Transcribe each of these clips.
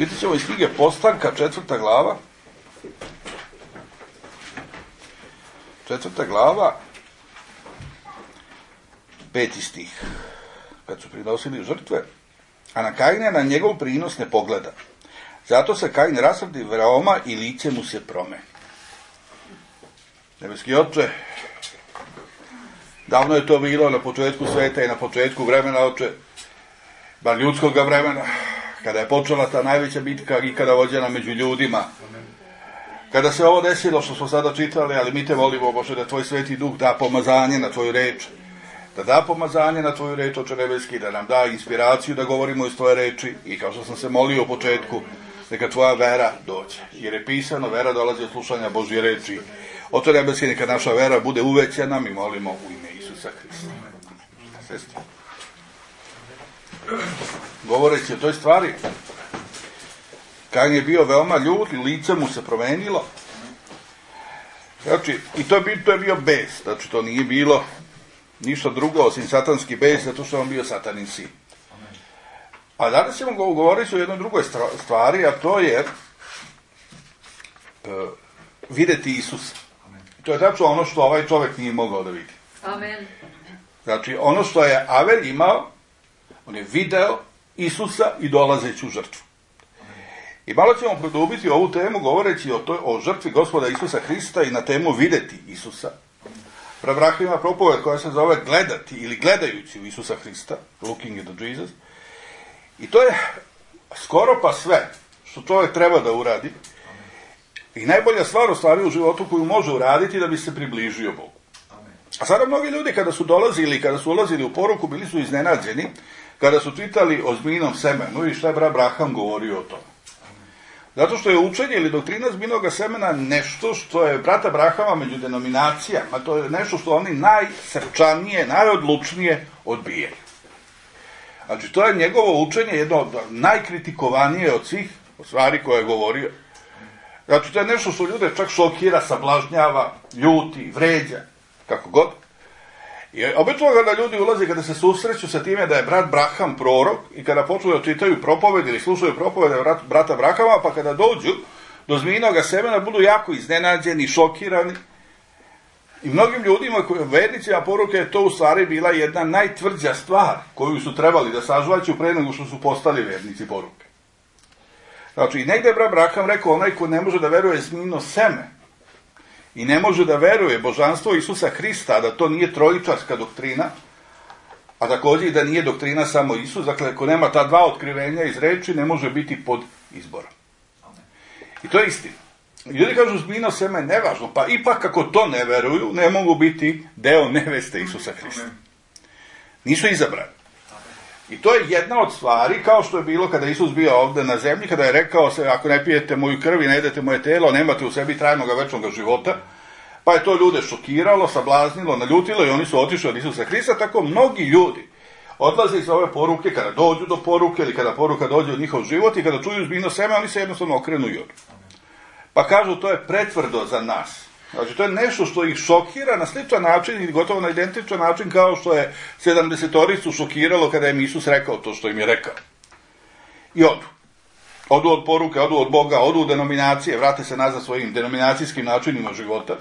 Vidjet ćemo iz knjige Postanka, 4. glava. 4. glava, 5. stih. Kad su prinosili žrtve, a na Kaina na njegov prinos ne pogleda. Zato se Kain rasrdi veoma i lice mu se promeni. Nebeski Oče, davno je to bilo na početku sveta i na početku vremena, Oče, bar ljudskog vremena, kada je počela ta najveća bitka ikada vođena među ljudima. Kada se ovo desilo što smo sada čitali, ali mi te molimo, Bože, da Tvoj Sveti Duh da pomazanje na Tvoju reč, da da pomazanje na Tvoju reč, Oče nebeski, da nam da inspiraciju da govorimo iz Tvoje reči i kao što sam se molio u početku, neka Tvoja vera dođe. Jer je pisano, vera dolazi od slušanja Božje reči. Oče nebeski, neka naša vera bude uvećana, mi molimo u ime Isusa Hrista. Sestri. Govoreći o toj stvari, Kain je bio veoma ljut i lice mu se promenilo. Znači, i to je bio bes. Znači, to nije bilo ništa drugo osim satanski bes, zato što on bio satanin sin. A danas ćemo govoriti o jednoj drugoj stvari, a to je vidjeti Isusa. To je tačno ono što ovaj čovjek nije mogao da vidi. Amen. Znači, ono što je Avel imao, on je video Isusa i dolazeću žrtvu. I malo ćemo produbiti ovu temu govoreći o žrtvi Gospoda Isusa Hrista i na temu vidjeti Isusa. Pravrah ima propoved koja se zove gledati ili gledajući u Isusa Hrista, looking into Jesus. I to je skoro pa sve što čovjek treba da uradi. I najbolja stvar u stvari u životu koju može uraditi da bi se približio Bogu. A sada mnogi ljudi kada su dolazili, kada su ulazili u poruku, bili su iznenađeni, kada su čitali o zmijnom semenu i šta je Abraham govorio o tome. Zato što je učenje ili doktrina zmijnog semena nešto što je brat Abrahama među denominacijama, to je nešto što oni najsrčanije, najodlučnije odbijaju. Znači, to je njegovo učenje jedno od najkritikovanije od svih stvari koje je govorio. Znači, to je nešto što ljude čak šokira, sablažnjava, ljuti, vređa, kako god. I obično kada ljudi ulaze, kada se susreću sa time da je brat Braham prorok i kada počnu da čitaju propoved ili slušaju propovede brata Brahama, pa kada dođu do zmijnog semena budu jako iznenađeni, šokirani. I mnogim ljudima, vernicima poruke, je to u stvari bila jedna najtvrđa stvar koju su trebali da sažvaću pre nego što su postali vernici poruke. Znači, i negdje je brat Braham rekao, onaj ko ne može da veruje zmijno seme i ne može da veruje božanstvo Isusa Hrista, da to nije trojičarska doktrina, a također i da nije doktrina samo Isus, dakle, ako nema ta dva otkrivenja iz reči, ne može biti pod izborom. I to je istina. Ljudi kažu zmijno seme je nevažno, pa ipak ako to ne veruju, ne mogu biti deo neveste Isusa Hrista. Nisu izabrani. I to je jedna od stvari, kao što je bilo kada Isus bio ovdje na zemlji, kada je rekao se, ako ne pijete moju krv i ne jedete moje telo, nemate u sebi trajnog večnog života, pa je to ljude šokiralo, sablaznilo, naljutilo i oni su otišli od Isusa Hrista. Tako mnogi ljudi odlaze iz ove poruke, kada dođu do poruke ili kada poruka dođe u njihov život i kada čuju zmijno seme, oni se jednostavno okrenu i odu. Pa kažu, to je pretvrdo za nas. Znači, to je nešto što ih šokira na sličan način i gotovo na identičan način kao što je 70-toricu šokiralo kada im Isus rekao to što im je rekao. I odu. Odu od poruke, odu od Boga, odu u denominacije, vrate se nazad svojim denominacijskim načinima života.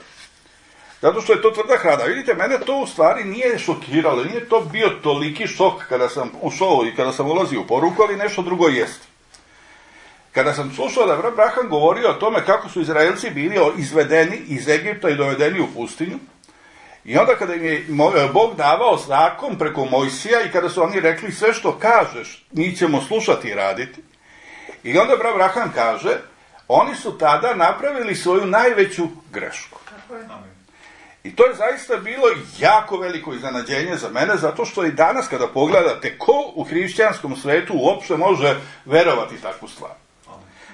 Zato što je to tvrda hrada. Vidite, mene to u stvari nije šokiralo, nije to bio toliki šok kada sam ušao i kada sam ulazio u poruku, ali nešto drugo jeste. Kada sam slušao da brat Braham govorio o tome kako su Izraelci bili izvedeni iz Egipta i dovedeni u pustinju, i onda kada im je Bog davao zakon preko Mojsija i kada su oni rekli sve što kažeš, mi ćemo slušati i raditi, i onda brat Braham kaže, oni su tada napravili svoju najveću grešku. I to je zaista bilo jako veliko iznenađenje za mene, zato što i danas kada pogledate ko u hrišćanskom svetu uopšte može verovati takvu stvar.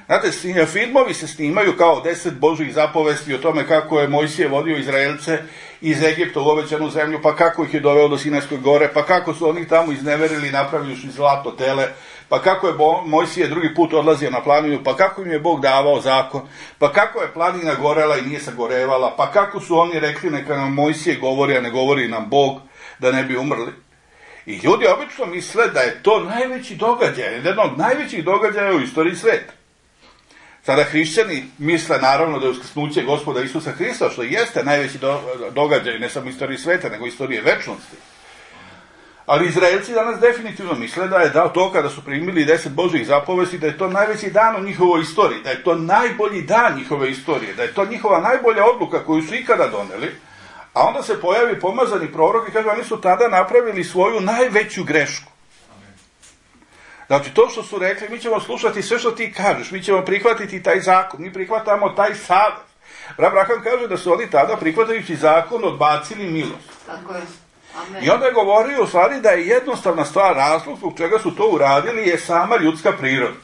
Znate, filmovi se snimaju kao 10 Božjih zapovesti o tome kako je Mojsije vodio Izraelce iz Egipta u obećanu zemlju, pa kako ih je doveo do Sinajske gore, pa kako su oni tamo izneverili, napravili zlato tele, pa kako je Mojsije drugi put odlazio na planinu, pa kako im je Bog davao zakon, pa kako je planina gorela i nije sagorevala, pa kako su oni rekli neka nam Mojsije govori, a ne govori nam Bog, da ne bi umrli. I ljudi obično misle da je to najveći događaj, jedan od najvećih događaja u istoriji sveta. Sada hrišćani misle naravno da je uskrsnuće Gospoda Isusa Hrista, što jeste najveći događaj, ne samo istoriji sveta, nego istorije večnosti. Ali Izraelci danas definitivno misle da je to kada su primili 10 Božjih zapovesti, da je to najveći dan u njihovoj istoriji, da je to najbolji dan njihove istorije, da je to njihova najbolja odluka koju su ikada doneli, a onda se pojavi pomazani prorok i kaže oni su tada napravili svoju najveću grešku. Znači to što su rekli, mi ćemo slušati sve što ti kažeš, mi ćemo prihvatiti taj zakon, mi prihvatamo taj savet. Abraham kaže da su oni tada prihvatajući zakon odbacili milost. Tako je. Amen. I onda je govorio u stvari da je jednostavna stvar, razlog zbog čega su to uradili je sama ljudska priroda.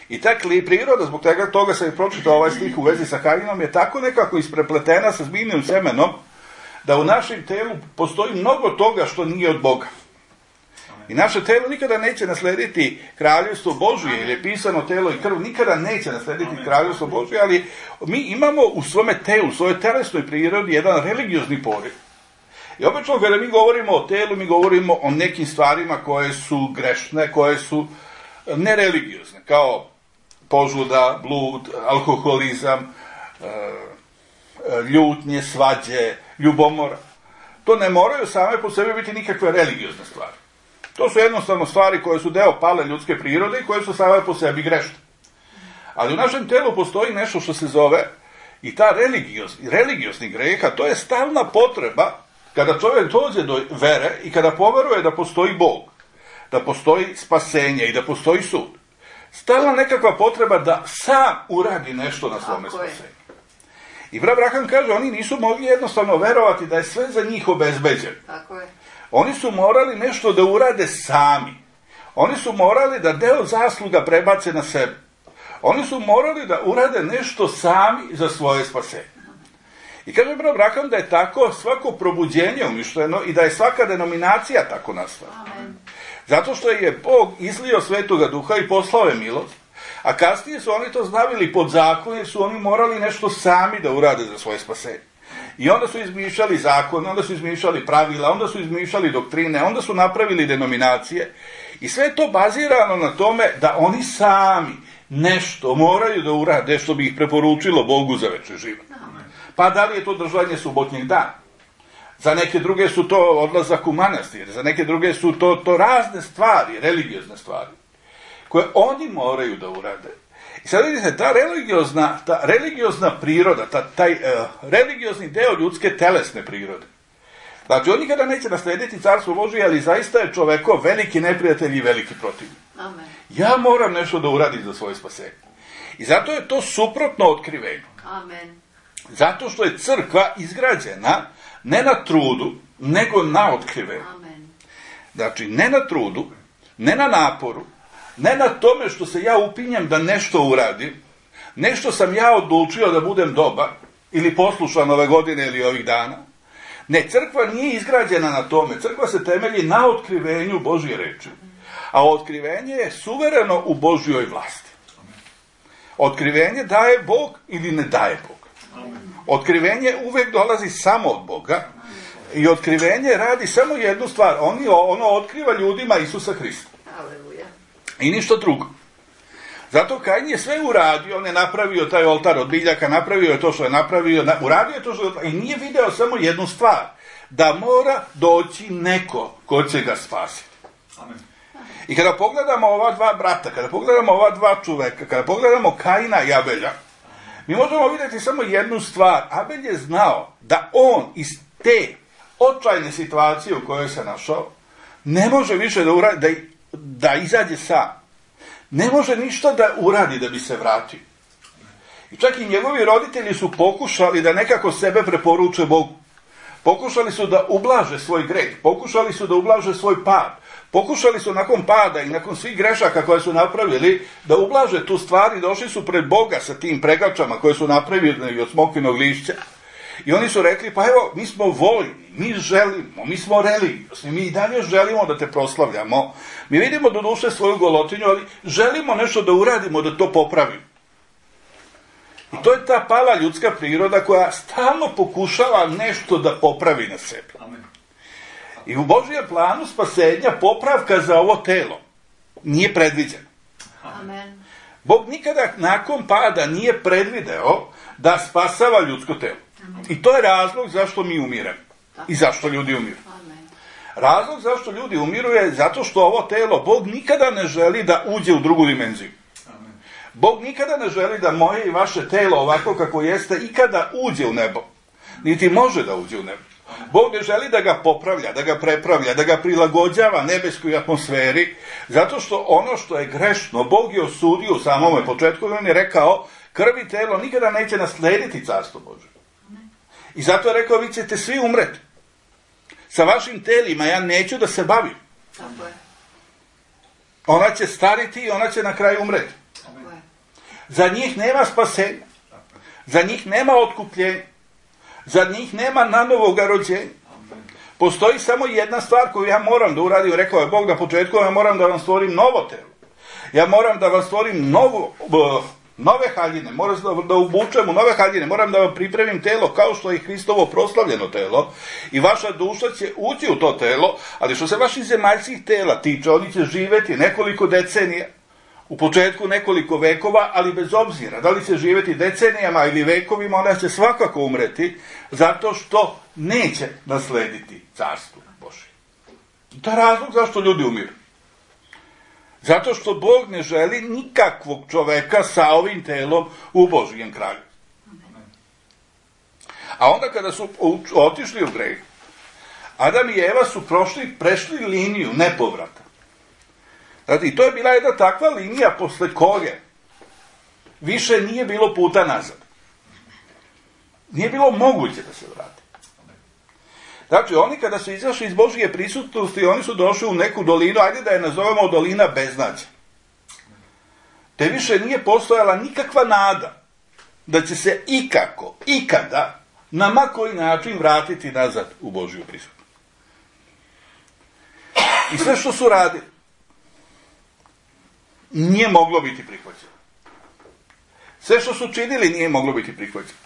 I ta priroda, zbog toga sam i pročitao ovaj stih u vezi sa Kainom, je tako nekako isprepletena sa zmijnim semenom, da u našem telu postoji mnogo toga što nije od Boga. I naše telo nikada neće naslediti kraljevstvo Božje, jer je pisano telo i krv nikada neće naslediti kraljevstvo Božje, ali mi imamo u svome telu, u svojoj telesnoj prirodi jedan religiozni poriv. I obično kada mi govorimo o telu, mi govorimo o nekim stvarima koje su grešne, koje su nereligiozne, kao požuda, blud, alkoholizam, ljutnje, svađe, ljubomora. To ne moraju same po sebi biti nikakve religiozne stvari. To su jednostavno stvari koje su deo pale ljudske prirode i koje su same po sebi grešne. Ali u našem telu postoji nešto što se zove i ta religiozni greh, a to je stalna potreba kada čovjek dođe do vere i kada poveruje da postoji Bog, da postoji spasenje i da postoji sud. Stalna nekakva potreba da sam uradi nešto na svome spasenju. I Abraham kaže, oni nisu mogli jednostavno verovati da je sve za njih obezbeđeno. Tako je. Oni su morali nešto da urade sami. Oni su morali da deo zasluga prebace na sebe. Oni su morali da urade nešto sami za svoje spasenje. I kaže Abraham da je tako svako probuđenje umišljeno i da je svaka denominacija tako nastala. Amen. Zato što je Bog izlio Svetoga Duha i poslao je milost, a kasnije su oni to znavili pod zakon jer su oni morali nešto sami da urade za svoje spasenje. I onda su izmišljali zakon, onda su izmišljali pravila, onda su izmišljali doktrine, onda su napravili denominacije i sve je to bazirano na tome da oni sami nešto moraju da urade što bi ih preporučilo Bogu za večni život. Pa da li je to držanje subotnjeg dana? Za neke druge su to odlazak u manastir, za neke druge su to razne stvari, religiozne stvari, koje oni moraju da urade. I sad vidite, ta religiozna priroda, taj religiozni deo ljudske telesne prirode. Znači, on nikada neće naslediti carstvo Božje, ali zaista je čoveko veliki neprijatelj i veliki protivnik. Amen. Ja moram nešto da uradim za svoje spasenje. I zato je to suprotno otkrivenju. Amen. Zato što je crkva izgrađena ne na trudu, nego na otkrivenju. Amen. Znači, ne na trudu, ne na naporu, ne na tome što se ja upinjem da nešto uradim, nešto sam ja odlučio da budem dobar, ili poslušan ove godine ili ovih dana. Ne, crkva nije izgrađena na tome. Crkva se temelji na otkrivenju Božje reči. A otkrivenje je suvereno u Božjoj vlasti. Otkrivenje daje Bog ili ne daje Bog. Otkrivenje uvek dolazi samo od Boga i otkrivenje radi samo jednu stvar. Ono otkriva ljudima Isusa Hrista. Aleluja. I ništa drugo. Zato Kain je sve uradio, on je napravio taj oltar od biljaka, napravio je to što je napravio, uradio je to što je, i nije video samo jednu stvar, da mora doći neko ko će ga spasiti. Amen. I kada pogledamo ova dva brata, kada pogledamo ova dva čoveka, kada pogledamo Kaina i Abelja, mi možemo vidjeti samo jednu stvar. Abel je znao da on iz te očajne situacije u kojoj se našao, ne može više da izađe sam. Ne može ništa da uradi da bi se vratio. I čak i njegovi roditelji su pokušali da nekako sebe preporuče Bogu. Pokušali su da ublaže svoj greh, pokušali su da ublaže svoj pad, pokušali su nakon pada i nakon svih grešaka koje su napravili da ublaže tu stvar i došli su pred Boga sa tim pregačama koje su napravili od smokvinog lišća. I oni su rekli, pa evo, mi smo voljni, mi želimo, mi smo religiozni, mi i dalje želimo da te proslavljamo. Mi vidimo do duše svoju golotinju, ali želimo nešto da uradimo, da to popravimo. I to je ta pala ljudska priroda koja stalno pokušava nešto da popravi na sebi. I u Božijem planu spasenja popravka za ovo telo nije predviđena. Amen. Bog nikada nakon pada nije predvideo da spasava ljudsko telo. I to je razlog zašto mi umiremo. I zašto ljudi umiru. Amen. Razlog zašto ljudi umiru je zato što ovo telo Bog nikada ne želi da uđe u drugu dimenziju. Bog nikada ne želi da moje i vaše telo ovako kako jeste ikada uđe u nebo. Niti može da uđe u nebo. Bog ne želi da ga popravlja, da ga prepravlja, da ga prilagođava nebeskoj atmosferi, zato što ono što je grešno, Bog je osudio u samome početku, on je rekao, krv i telo nikada neće naslediti carstvo Božje. I zato je rekao, vi ćete svi umreti. Sa vašim telima ja neću da se bavim. Tako je. Ona će stariti i ona će na kraju umreti. Tako je. Za njih nema spasenja. Za njih nema otkupljenja. Za njih nema nanovog rođenja. Postoji samo jedna stvar koju ja moram da uradim. Rekao je Bog na početku, ja moram da vam stvorim novo telo. Ja moram da vam stvorim nove haljine, moram da obučem u nove haljine, moram da vam pripremim telo kao što je Hristovo proslavljeno telo i vaša duša će ući u to telo, ali što se vaših zemaljskih tela tiče, oni će živeti nekoliko decenija, u početku nekoliko vekova, ali bez obzira da li će živeti decenijama ili vekovima, ona će svakako umreti, zato što neće naslediti carstvo Božje. To je razlog zašto ljudi umiru. Zato što Bog ne želi nikakvog čoveka sa ovim telom u Božijem kralju. A onda kada su otišli u greh, Adam i Eva su prešli liniju nepovrata. Znači, i to je bila jedna takva linija posle koje više nije bilo puta nazad. Nije bilo moguće da se vrati. Znači, oni kada su izašli iz Božije prisutnosti, oni su došli u neku dolinu, ajde da je nazovemo dolina beznađa. Te više nije postojala nikakva nada da će se ikada, na ma koji način vratiti nazad u Božiju prisutnost. I sve što su radili, nije moglo biti prihvaćeno. Sve što su činili nije moglo biti prihvaćeno.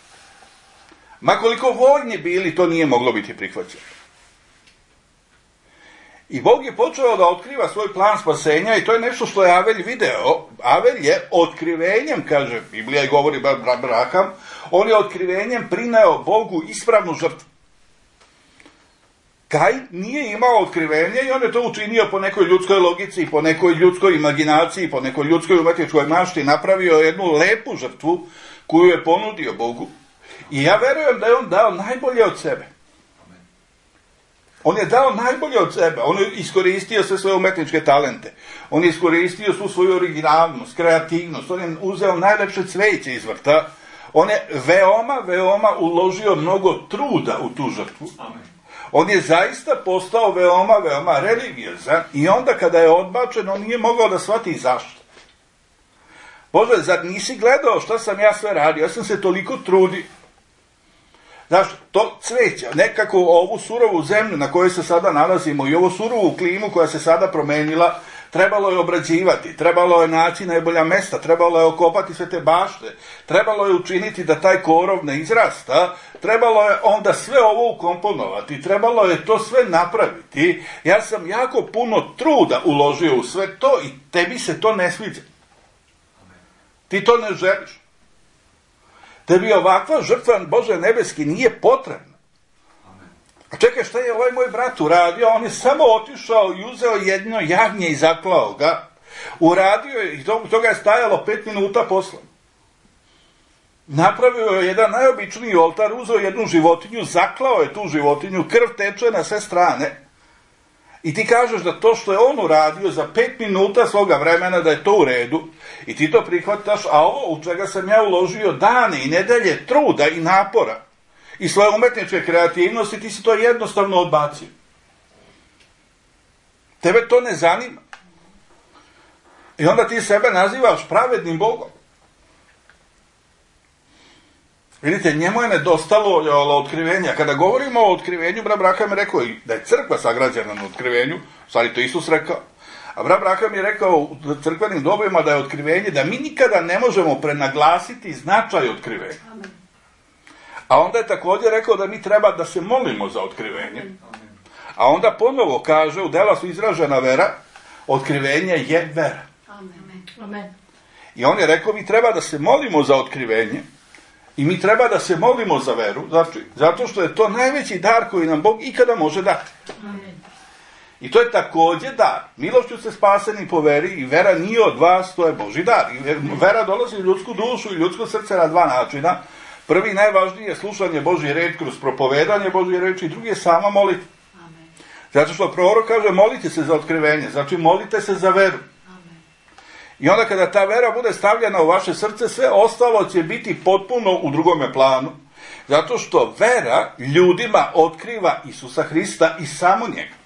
Ma koliko voljni bili, to nije moglo biti prihvaćeno. I Bog je počeo da otkriva svoj plan spasenja i to je nešto što je Avelj video. Avelj je otkrivenjem, kaže Biblija i govori Abraham, on je otkrivenjem prineo Bogu ispravnu žrtvu. Kain nije imao otkrivenje i on je to učinio po nekoj ljudskoj logici, po nekoj ljudskoj imaginaciji, po nekoj ljudskoj umetničkoj mašti, napravio jednu lepu žrtvu koju je ponudio Bogu. I ja verujem da je on dao najbolje od sebe. On je dao najbolje od sebe. On je iskoristio sve svoje umetničke talente. On je iskoristio svu svoju originalnost, kreativnost. On je uzeo najlepše cveće iz vrta. On je veoma uložio mnogo truda u tu žrtvu. On je zaista postao veoma religiozan i onda kada je odbačen, on nije mogao da shvati zašto. Bože, zar nisi gledao šta sam ja sve radio? Ja sam se toliko trudio. Znaš, to cveće, nekako ovu surovu zemlju na kojoj se sada nalazimo i ovu surovu klimu koja se sada promenila, trebalo je obrađivati, trebalo je naći najbolja mesta, trebalo je okopati sve te bašte, trebalo je učiniti da taj korov ne izrasta, trebalo je onda sve ovo ukomponovati, trebalo je to sve napraviti. Ja sam jako puno truda uložio u sve to i tebi se to ne sviđa. Ti to ne želiš. Tebi ovakva žrtva, Bože nebeski, nije potrebna. A čekaj, šta je ovaj moj brat uradio? On je samo otišao i uzeo jedno jagnje i zaklao ga. Uradio je, i toga je stajalo 5 minuta posle. Napravio je jedan najobičniji oltar, uzeo jednu životinju, zaklao je tu životinju, krv teče na sve strane. I ti kažeš da to što je on uradio za 5 minuta svoga vremena, da je to u redu, i ti to prihvataš, a ovo u čega sam ja uložio dane i nedelje truda i napora i svoje umetničke kreativnosti, ti si to jednostavno odbacio. Tebe to ne zanima. I onda ti sebe nazivaš pravednim Bogom. Vidite, njemu je nedostalo otkrivenja. Kada govorimo o otkrivenju, Abraham je rekao da je crkva sagrađena na otkrivenju, stvari to Isus rekao. A Abraham je rekao u crkvenim dobima da je otkrivenje, da mi nikada ne možemo prenaglasiti značaj otkrivenja. A onda je također rekao da mi treba da se molimo za otkrivenje. A onda ponovo kaže, u dela su izražena vera, otkrivenje je vera. Amen. I on je rekao, mi treba da se molimo za otkrivenje i mi treba da se molimo za veru, zato što je to najveći dar koji nam Bog ikada može dati. Amen. I to je također dar. Milošću ste spaseni po veri i vera nije od vas, to je Božji dar. I vera dolazi u ljudsku dušu i ljudsko srce na dva načina. Prvi, najvažniji je slušanje Božje reči kroz propovedanje Božje reči i drugi je sama molitva. Amen. Zato što prorok kaže, molite se za otkrivenje, znači molite se za veru. Amen. I onda kada ta vera bude stavljena u vaše srce, sve ostalo će biti potpuno u drugome planu. Zato što vera ljudima otkriva Isusa Hrista i samo njega.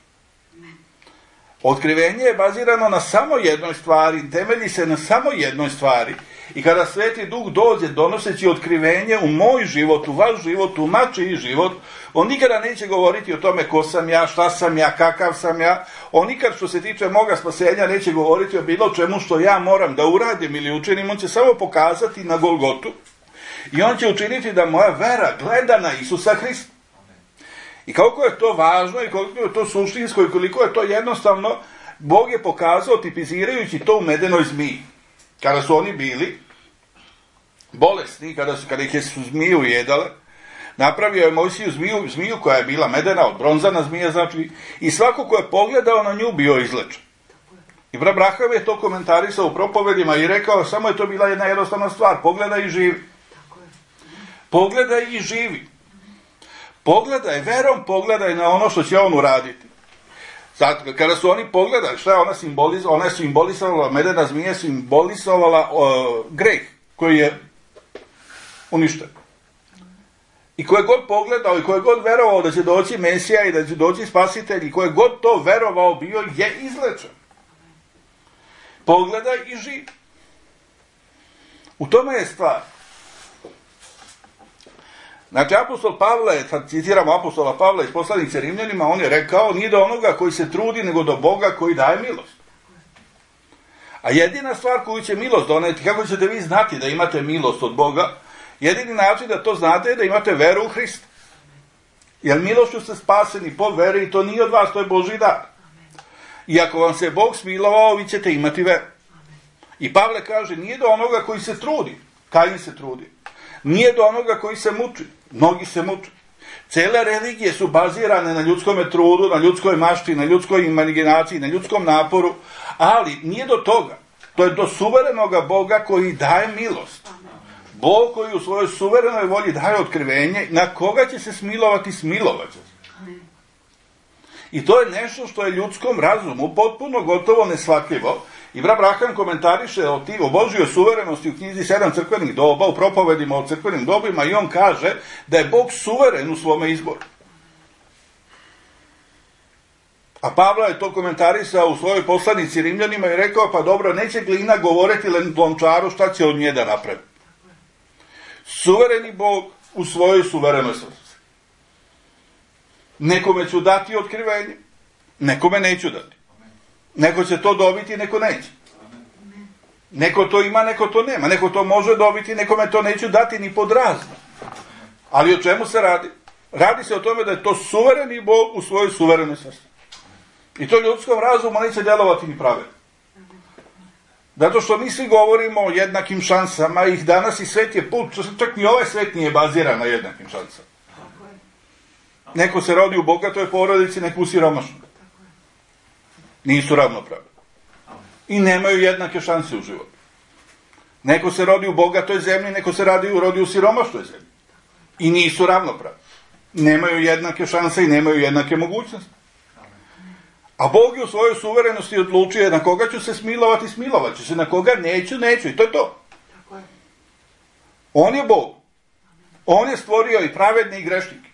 Otkrivenje je bazirano na samo jednoj stvari, temelji se na samo jednoj stvari. I kada Sveti Duh dođe donoseći otkrivenje u moj život, u vaš život, u mačiji život, on nikada neće govoriti o tome ko sam ja, šta sam ja, kakav sam ja. On nikad što se tiče moga spasenja neće govoriti o bilo čemu što ja moram da uradim ili učinim. On će samo pokazati na Golgotu i on će učiniti da moja vera gleda na Isusa Hrista. I koliko je to važno i koliko je to suštinsko i koliko je to jednostavno, Bog je pokazao tipizirajući to u medenoj zmiji. Kada su oni bili bolesni, kada ih je zmije ujedale, napravio je Mojsiju zmiju koja je bila medena, od bronzana zmija, znači, i svako ko je pogledao na nju bio izlečen. I brat Brahav je to komentarisao u propovedima i rekao, samo je to bila jedna jednostavna stvar, pogledaj i živi. Pogledaj i živi. Pogledaj, verom pogledaj na ono što će on uraditi. Zato, kada su oni pogledali, šta je ona simbolizovala? Ona je simbolizovala, medena zmija je simbolizovala greh koji je uništen. I ko je god pogledao i ko je god verovao da će doći Mesija i da će doći Spasitelj i ko je god to verovao bio je izlečen. Pogledaj i živi. U tome je stvar. Znači, apostol Pavle, sad citiramo apostola Pavla iz poslanice Rimljanima, on je rekao, nije do onoga koji se trudi, nego do Boga koji daje milost. A jedina stvar koju će milost doneti, kako ćete vi znati da imate milost od Boga, jedini način da to znate je da imate veru u Hrista. Jer milošću ste spaseni po veri i to nije od vas, to je Božji dar. I ako vam se Bog smilovao, vi ćete imati veru. I Pavle kaže, nije do onoga koji se trudi, Kain se trudi. Nije do onoga koji se muči, mnogi se muče. Cele religije su bazirane na ljudskom trudu, na ljudskoj mašti, na ljudskoj imaginaciji, na ljudskom naporu, ali nije do toga. To je do suverenoga Boga koji daje milost. Bog koji u svojoj suverenoj volji daje otkrivenje, na koga će se smilovati, smilovat će se. I to je nešto što je ljudskom razumu potpuno gotovo neshvatljivo. I brat Braham komentariše o Božjoj suverenosti u knjizi 7 crkvenih doba, u propovedima o crkvenim dobima, i on kaže da je Bog suveren u svome izboru. A Pavla je to komentarisao u svojoj poslanici Rimljanima i rekao, pa dobro, neće glina govoriti lončaru šta će od nje da napravi. Suvereni Bog u svojoj suverenoj svrsi. Nekome ću dati otkrivenje, nekome neću dati. Neko će to dobiti, neko neće. Neko to ima, neko to nema. Neko to može dobiti, nekome to neću dati ni pod razno. Ali o čemu se radi? Radi se o tome da je to suvereni Bog u svojoj suverenoj svrsi. I to ljudskom razumu neće djelovati ni pravedno. Zato što mi svi govorimo o jednakim šansama, ih danas i svet je put, čak ni ovaj svet nije baziran na jednakim šansama. Neko se rodi u bogatoj porodici, neko u siromašnoj. Nisu ravnopravni. I nemaju jednake šanse u životu. Neko se rodi u bogatoj zemlji, neko se rodi u siromašnoj zemlji. I nisu ravnopravni. Nemaju jednake šanse i nemaju jednake mogućnosti. A Bog je u svojoj suverenosti odlučio na koga ću se smilovati, smilovat ću se, na koga neću. I to je to. On je Bog. On je stvorio i pravedne i grešnike.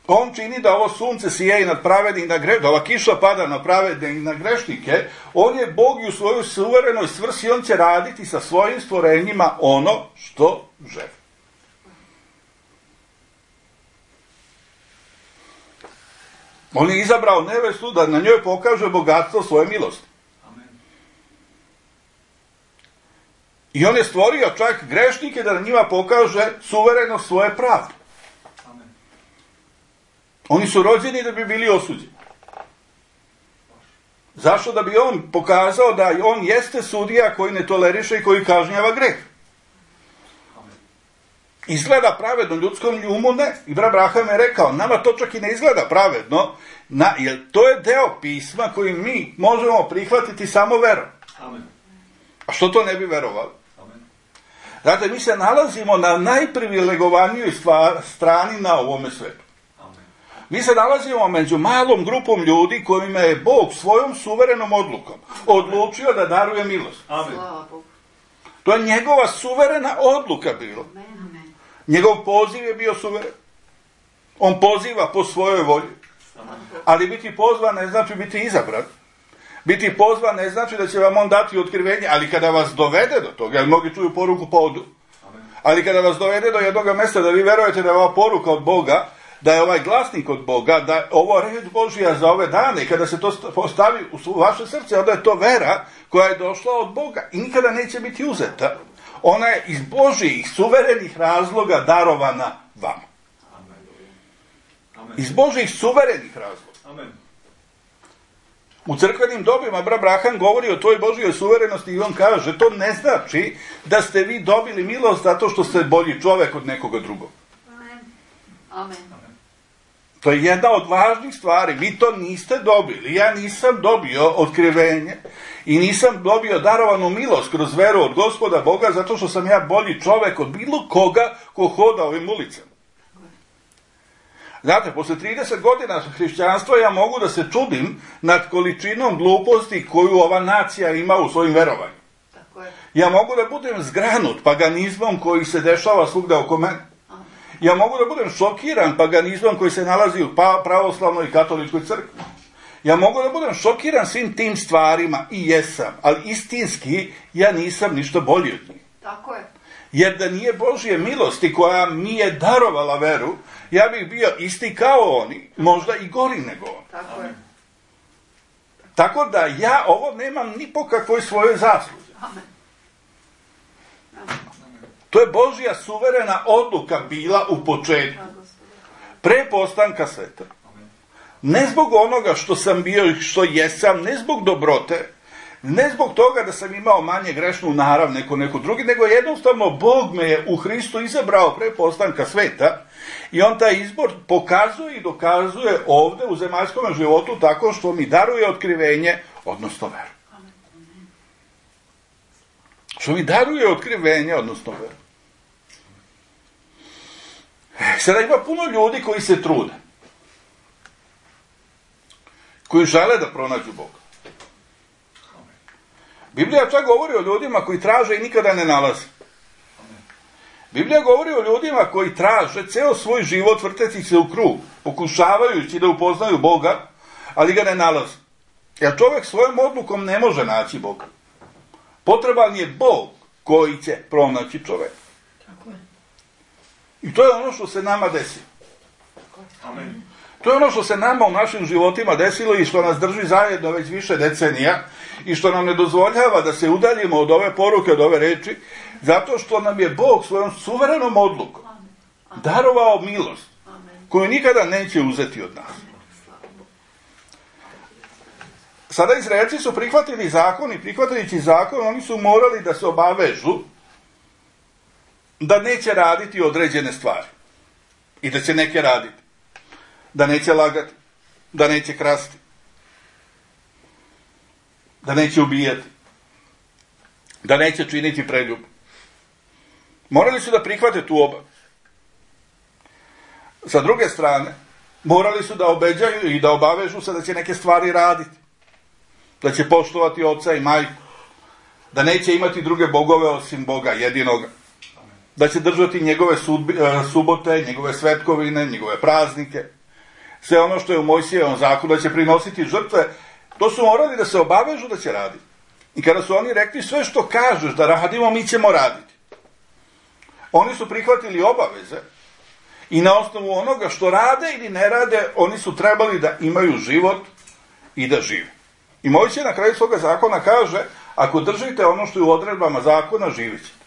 On čini da ovo sunce sije i nad pravedne i na grešnike, da ova kiša pada na pravedne i na grešnike. On je Bog i u svojoj suverenoj svrsi on će raditi sa svojim stvorenjima ono što želi. On je izabrao nevestu da na njoj pokaže bogatstvo svoje milosti. I on je stvorio čak grešnike da na njima pokaže suverenost svoje pravde. Oni su rođeni da bi bili osuđeni. Zašto? Da bi on pokazao da on jeste sudija koji ne toleriše i koji kažnjava greh. Izgleda pravedno ljudskom umu, ne. I brat Abraham je rekao, nama to čak i ne izgleda pravedno, jer to je deo pisma koji mi možemo prihvatiti samo verom. Amen. A što to ne bi verovali? Amen. Znate, mi se nalazimo na najprivilegovanijoj strani na ovome svetu. Amen. Mi se nalazimo među malom grupom ljudi kojima je Bog svojom suverenom odlukom odlučio da daruje milost. Amen. Slava Bogu. To je njegova suverena odluka bila. Amen, amen. Njegov poziv je bio suveren. On poziva po svojoj volji. Ali biti pozvan ne znači biti izabran. Biti pozvan ne znači da će vam on dati otkrivenje, ali kada vas dovede do toga, jer mnogi čuju poruku pa odu, ali kada vas dovede do jednog mjesta da vi verujete da je ova poruka od Boga, da je ovaj glasnik od Boga, da je ovo reč Božija za ove dane, i kada se to postavi u vaše srce, onda je to vera koja je došla od Boga i nikada neće biti uzeta. Ona je iz Božijih suverenih razloga darovana vama. Iz Božijih suverenih razloga. Amen. U crkvenim dobima brat Abraham govori o toj Božijoj suverenosti i on kaže, to ne znači da ste vi dobili milost zato što ste bolji čovek od nekoga drugog. Amen. Amen. To je jedna od važnih stvari. Vi to niste dobili. Ja nisam dobio otkrivenje i nisam dobio darovanu milost kroz veru od Gospoda Boga zato što sam ja bolji čovek od bilo koga ko hoda ovim ulicama. Znate, posle 30 godina hrišćanstva ja mogu da se čudim nad količinom gluposti koju ova nacija ima u svojim verovanjima. Tako je. Ja mogu da budem zgranut paganizmom koji se dešava svugda oko mene. Ja mogu da budem šokiran paganizmom koji se nalazi u pravoslavnoj i katoličkoj crkvi. Ja mogu da budem šokiran svim tim stvarima i jesam, ali istinski ja nisam ništa bolji od njih. Tako je. Jer da nije Božje milosti koja mi je darovala veru, ja bih bio isti kao oni, možda i gori nego oni. Tako je. Tako da ja ovo nemam ni po kakvoj svojoj zasluzi. Amen. To je Božja suverena odluka bila u početku, pre postanka sveta. Ne zbog onoga što sam bio i što jesam, ne zbog dobrote, ne zbog toga da sam imao manje grešnu narav neko drugi, nego jednostavno Bog me je u Hristu izabrao pre postanka sveta i on taj izbor pokazuje i dokazuje ovde u zemaljskom životu tako što mi daruje otkrivenje, odnosno veru. Što mi daruje otkrivenje, odnosno veru. Sada ima puno ljudi koji se trude, koji žele da pronađu Boga. Biblija čak govori o ljudima koji traže i nikada ne nalaze. Biblija govori o ljudima koji traže ceo svoj život vrteći se u krug, pokušavajući da upoznaju Boga, ali ga ne nalaze. Jer čovjek svojom odlukom ne može naći Boga. Potreban je Bog koji će pronaći čovjeka. I to je ono što se nama desilo. Amen. To je ono što se nama u našim životima desilo i što nas drži zajedno već više decenija i što nam ne dozvoljava da se udaljimo od ove poruke, od ove reči, zato što nam je Bog svojom suverenom odlukom darovao milost koju nikada neće uzeti od nas. Sada Izraelci su prihvatili zakon i prihvatajući zakon oni su morali da se obavežu da neće raditi određene stvari i da će neke raditi. Da neće lagati, da neće krasti, da neće ubijati, da neće činiti preljub. Morali su da prihvate tu obavezu. Sa druge strane, morali su da obećaju i da obavežu se da će neke stvari raditi. Da će poštovati oca i majku, da neće imati druge bogove osim Boga jedinoga, da će držati njegove subote, njegove svetkovine, njegove praznike, sve ono što je u Mojsijevom zakonu, da će prinositi žrtve, to su morali da se obavežu da će raditi. I kada su oni rekli sve što kažeš da radimo, mi ćemo raditi. Oni su prihvatili obaveze i na osnovu onoga što rade ili ne rade, oni su trebali da imaju život i da žive. I Mojsije na kraju svoga zakona kaže, ako držite ono što je u odredbama zakona, živit ćete.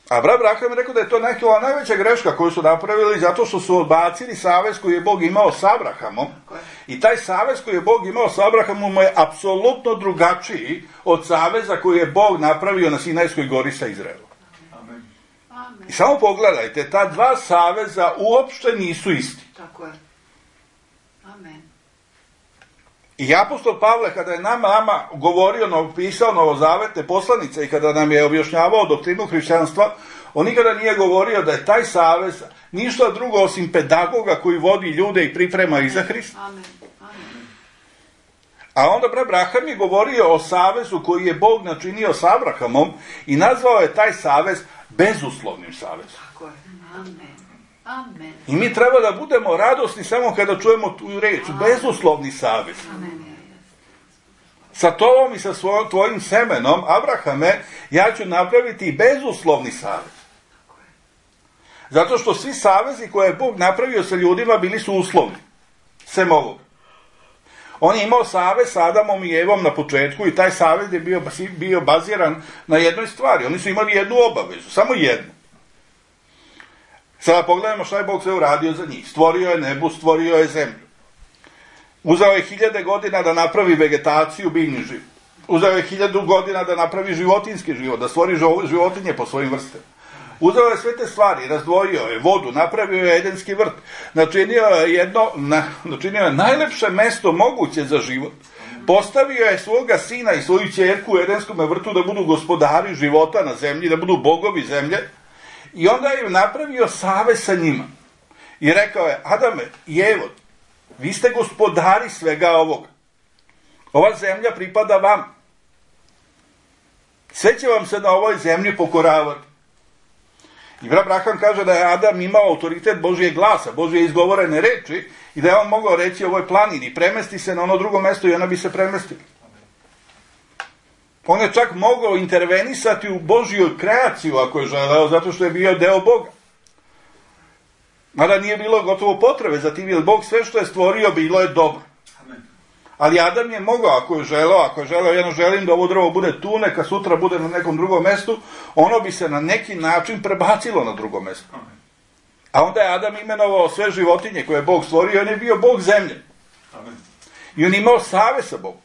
A Abraham je rekao da je to neka najveća greška koju su napravili zato što su odbacili savez koji je Bog imao s Abrahamom. I taj savez koji je Bog imao s Abrahamom je apsolutno drugačiji od saveza koji je Bog napravio na Sinajskoj gori sa Izraelom. I samo pogledajte, ta dva saveza uopšte nisu isti. Tako je. Amen. I apostol Pavle, kada je nama govorio, pisao novozavetne poslanice i kada nam je objašnjavao doktrinu hrišćanstva, on nikada nije govorio da je taj savez ništa drugo osim pedagoga koji vodi ljude i priprema ih za Hrista. Amen. Amen. A onda Abraham je govorio o savezu koji je Bog načinio s Abrahamom i nazvao je taj savez bezuslovnim savezom. Tako je. Amen. Amen. I mi treba da budemo radosni samo kada čujemo tu reč, bezuslovni savez. Amen. Sa tobom i sa tvojim semenom, Abrahame, ja ću napraviti bezuslovni savez. Zato što svi savezi koje je Bog napravio sa ljudima bili su uslovni. Sem ovog. On je imao savez sa Adamom i Evom na početku i taj savez je bio baziran na jednoj stvari. Oni su imali jednu obavezu, samo jednu. Sada pogledajmo šta je Bog sve uradio za njih. Stvorio je nebo, stvorio je zemlju. Uzeo je 1000 godina da napravi vegetaciju, biljni život. Uzeo je 1000 godina da napravi životinjski život, da stvori životinje po svojim vrstama. Uzeo je sve te stvari, razdvojio je vodu, napravio je edenski vrt, načinio je najlepše mesto moguće za život. Postavio je svoga sina i svoju ćerku u edenskom vrtu da budu gospodari života na zemlji, da budu bogovi zemlje. I onda je napravio savez sa njima. I rekao je, Adame i Evo, vi ste gospodari svega ovoga. Ova zemlja pripada vam. Sve će vam se na ovoj zemlji pokoravati. I Abraham kaže da je Adam imao autoritet Božijeg glasa, Božije izgovorene reči i da je on mogao reći ovoj planini, premesti se na ono drugo mesto i ona bi se premestila. On je čak mogao intervenisati u Božiju kreaciju ako je želeo, zato što je bio deo Boga. Mada nije bilo gotovo potrebe za tim, jer Bog sve što je stvorio bilo je dobro. Ali Adam je mogao, ako je želeo, ja želim da ovo drvo bude tu, neka sutra bude na nekom drugom mestu, ono bi se na neki način prebacilo na drugo mesto. A onda je Adam imenovao sve životinje koje je Bog stvorio, on je bio Bog zemlje. I on je imao savez sa Bogom.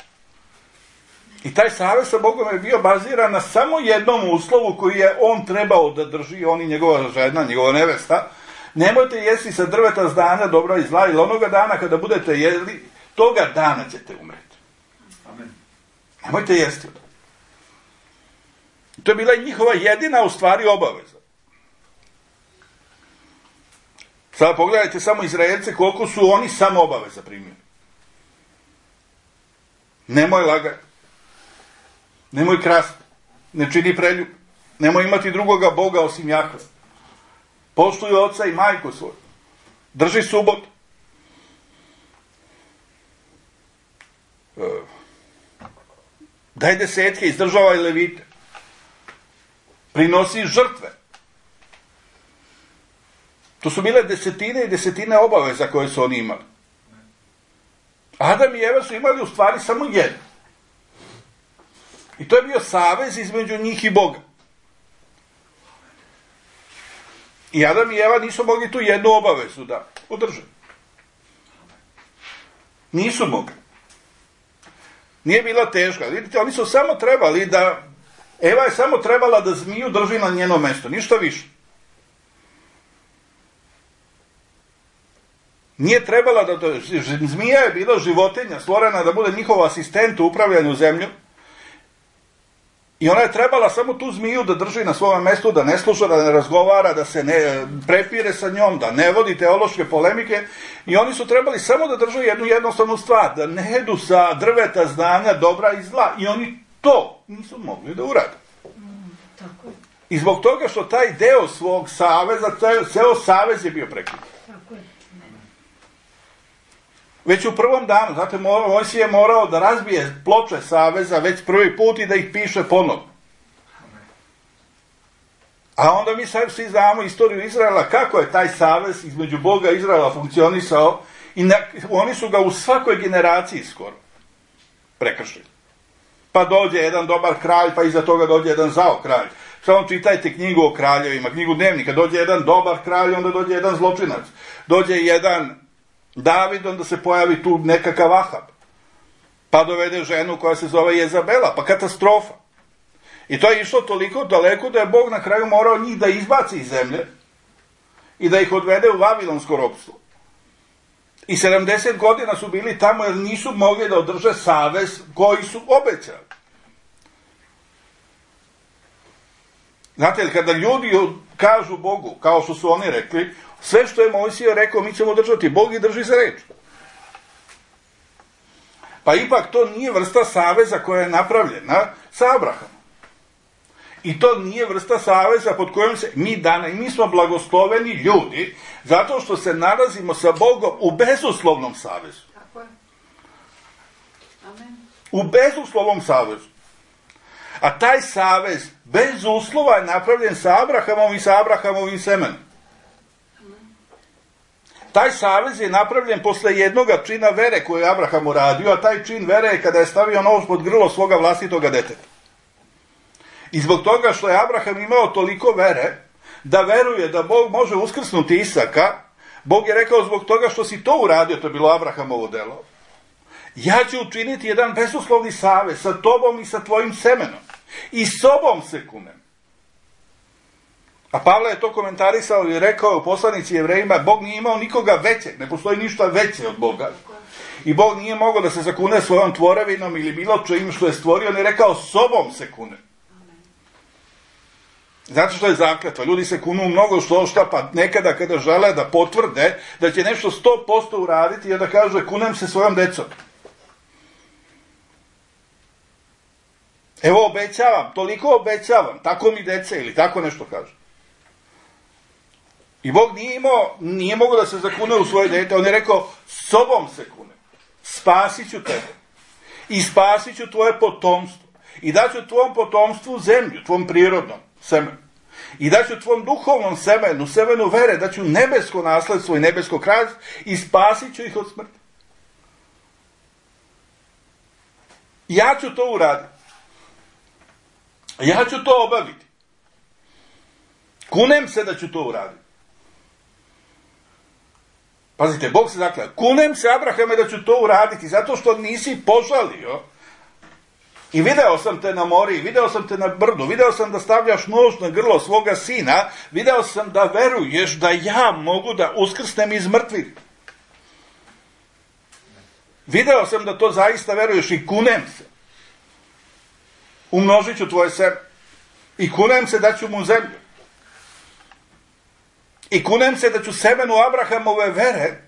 I taj savez sa Bogom je bio baziran na samo jednom uslovu koji je on trebao da drži, on i njegova žena, njegova nevesta. Nemojte jesti sa drveta znanja dobra i zla, ili onoga dana kada budete jeli, toga dana ćete umreti. Amen. Nemojte jesti. To je bila njihova jedina u stvari obaveza. Sada pogledajte samo Izraelce koliko su oni samo obaveza primili. Nemoj lagati. Nemoj krasti. Ne čini preljub. Nemoj imati drugoga Boga osim Jahve. Poštuj oca i majku svoju. Drži subotu. Daj desetke, izdržavaj levite. Prinosi žrtve. To su bile desetine i desetine obaveza koje su oni imali. Adam i Eva su imali u stvari samo jedno. I to je bio savez između njih i Boga. I Adam i Eva nisu mogli tu jednu obavezu da održe. Nisu mogli. Nije bila teška. Vidite, oni su samo trebali da... Eva je samo trebala da zmiju drži na njeno mesto. Ništa više. Nije trebala da... Zmija je bila životinja stvorena da bude njihov asistent u upravljanju zemljom. I ona je trebala samo tu zmiju da drži na svome mestu, da ne sluša, da ne razgovara, da se ne prepire sa njom, da ne vodi teološke polemike. I oni su trebali samo da drže jednu jednostavnu stvar, da ne jedu sa drveta znanja, dobra i zla. I oni to nisu mogli da urade. I zbog toga što taj deo svog saveza, ceo savez je bio prekinut. Već u prvom danu, znate, Mojsije je morao da razbije ploče saveza već prvi put i da ih piše ponovno. A onda mi sad svi znamo istoriju Izraela, kako je taj savez između Boga i Izraela funkcionisao i oni su ga u svakoj generaciji skoro prekršili. Pa dođe jedan dobar kralj, pa iza toga dođe jedan zao kralj. Samo čitajte knjigu o kraljevima, knjigu Dnevnika. Dođe jedan dobar kralj, onda dođe jedan zločinac. Dođe jedan David, onda se pojavi tu nekakav Ahab. Pa dovede ženu koja se zove Jezabela, pa katastrofa. I to je išlo toliko daleko da je Bog na kraju morao njih da izbaci iz zemlje i da ih odvede u vavilonsko ropstvo. I 70 godina su bili tamo jer nisu mogli da održe savez koji su obećali. Znate li, kada ljudi kažu Bogu, kao što su oni rekli, sve što je Mojsije rekao mi ćemo držati, Bog i drži za reč. Pa ipak to nije vrsta saveza koja je napravljena sa Abrahamom. I to nije vrsta saveza pod kojom se mi danas, i mi smo blagosloveni ljudi, zato što se nalazimo sa Bogom u bezuslovnom savezu. Tako je. Amen. U bezuslovnom savezu. A taj savez bez uslova je napravljen sa Abrahamom i sa Abrahamovim semenom. Taj savez je napravljen posle jednoga čina vere koju je Abraham uradio, a taj čin vere je kada je stavio nož pod grlo svoga vlastitoga deteta. I zbog toga što je Abraham imao toliko vere, da veruje da Bog može uskrsnuti Isaka, Bog je rekao zbog toga što si to uradio, to je bilo Abrahamovo delo, ja ću učiniti jedan bezuslovni savez sa tobom i sa tvojim semenom. I sobom se kunem. A Pavle je to komentarisao i rekao u poslanici Jevrejima, Bog nije imao nikoga većeg, ne postoji ništa veće od Boga. I Bog nije mogao da se zakune svojom tvorevinom ili bilo čim što je stvorio, on je rekao sobom se kune. Zato što je zakletva. Ljudi se kunu mnogo što pa nekada kada žele da potvrde da će nešto 100% uraditi i da kaže kunem se svojom decom. Evo obećavam, toliko obećavam, tako mi dece ili tako nešto kaže. I Bog nije mogao da se zakune u svoje dete, on je rekao sobom se kune, spasit ću tebe i spasit ću tvoje potomstvo i daću tvom potomstvu zemlju, tvom prirodnom semenu. I daću tvom duhovnom semenu, semenu vere, daću nebesko nasledstvo i nebesko kraljevstvo i spasit ću ih od smrti. Ja ću to uraditi. Ja ću to obaviti. Kunem se da ću to uraditi. Pazite, Bog se zakleo. Kunem se, Abrahame, da ću to uraditi, zato što nisi požalio. I video sam te na mori, video sam te na brdu, video sam da stavljaš nož na grlo svoga sina, video sam da veruješ da ja mogu da uskrsnem iz mrtvih. Video sam da to zaista veruješ i kunem se. Umnožit ću tvoje seme. I kunem se da ću mu zemlju. I kunem se da ću semenu Abrahamove vere,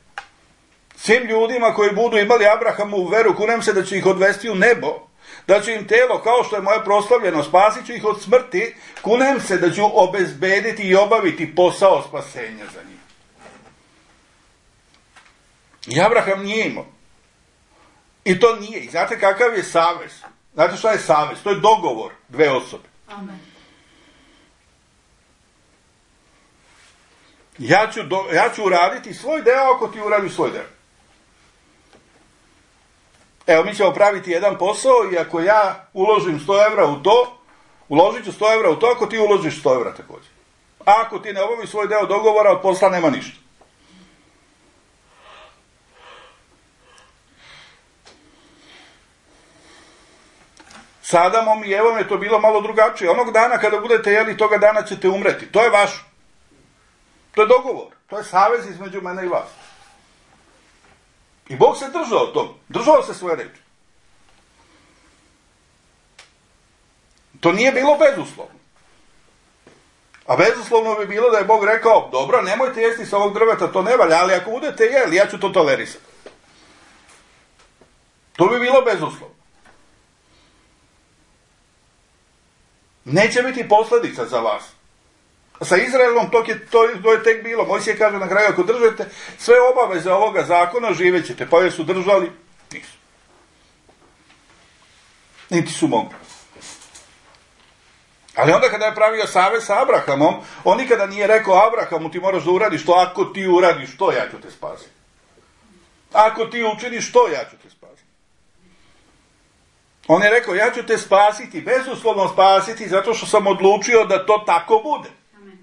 svim ljudima koji budu imali Abrahamovu veru, kunem se da ću ih odvesti u nebo, da ću im telo, kao što je moje proslavljeno, spasit ću ih od smrti, kunem se da ću obezbediti i obaviti posao spasenja za njih. I Abraham nije imao. I to nije. I znate kakav je savez? Znate šta je savez? To je dogovor dve osobe. Amen. Ja ću uraditi svoj deo ako ti uradiš svoj deo. Evo, mi ćemo praviti jedan posao i ako ja uložim 100 evra u to, uložit ću 100 evra u to ako ti uložiš 100 evra također. A ako ti ne obaviš svoj deo dogovora, od posla nema ništa. S Adamom i Evom je to bilo malo drugačije. Onog dana kada budete jeli, toga dana ćete umreti. To je vaš. To je dogovor. To je savez između mene i vas. I Bog se držao tom. Držao se svoje reči. To nije bilo bezuslovno. A bezuslovno bi bilo da je Bog rekao, dobro, nemojte jesti sa ovog drveta, to ne valja, ali ako budete jeli, ja ću to tolerisati. To bi bilo bezuslovno. Neće biti posljedica za vas. Sa Izraelom to je tek bilo. Mojsije kaže na kraju, ako držite sve obaveze ovoga zakona, živet ćete. Pa jesu držali? Nisu. Niti su mogli. Ali onda kada je pravio savez sa Abrahamom, on nikada nije rekao Abrahamu, ti moraš da uradiš to, ako ti uradiš to, ja ću te spasiti. Ako ti učiniš to, ja ću te spasiti. On je rekao, ja ću te spasiti, bezuslovno spasiti, zato što sam odlučio da to tako bude. Amen.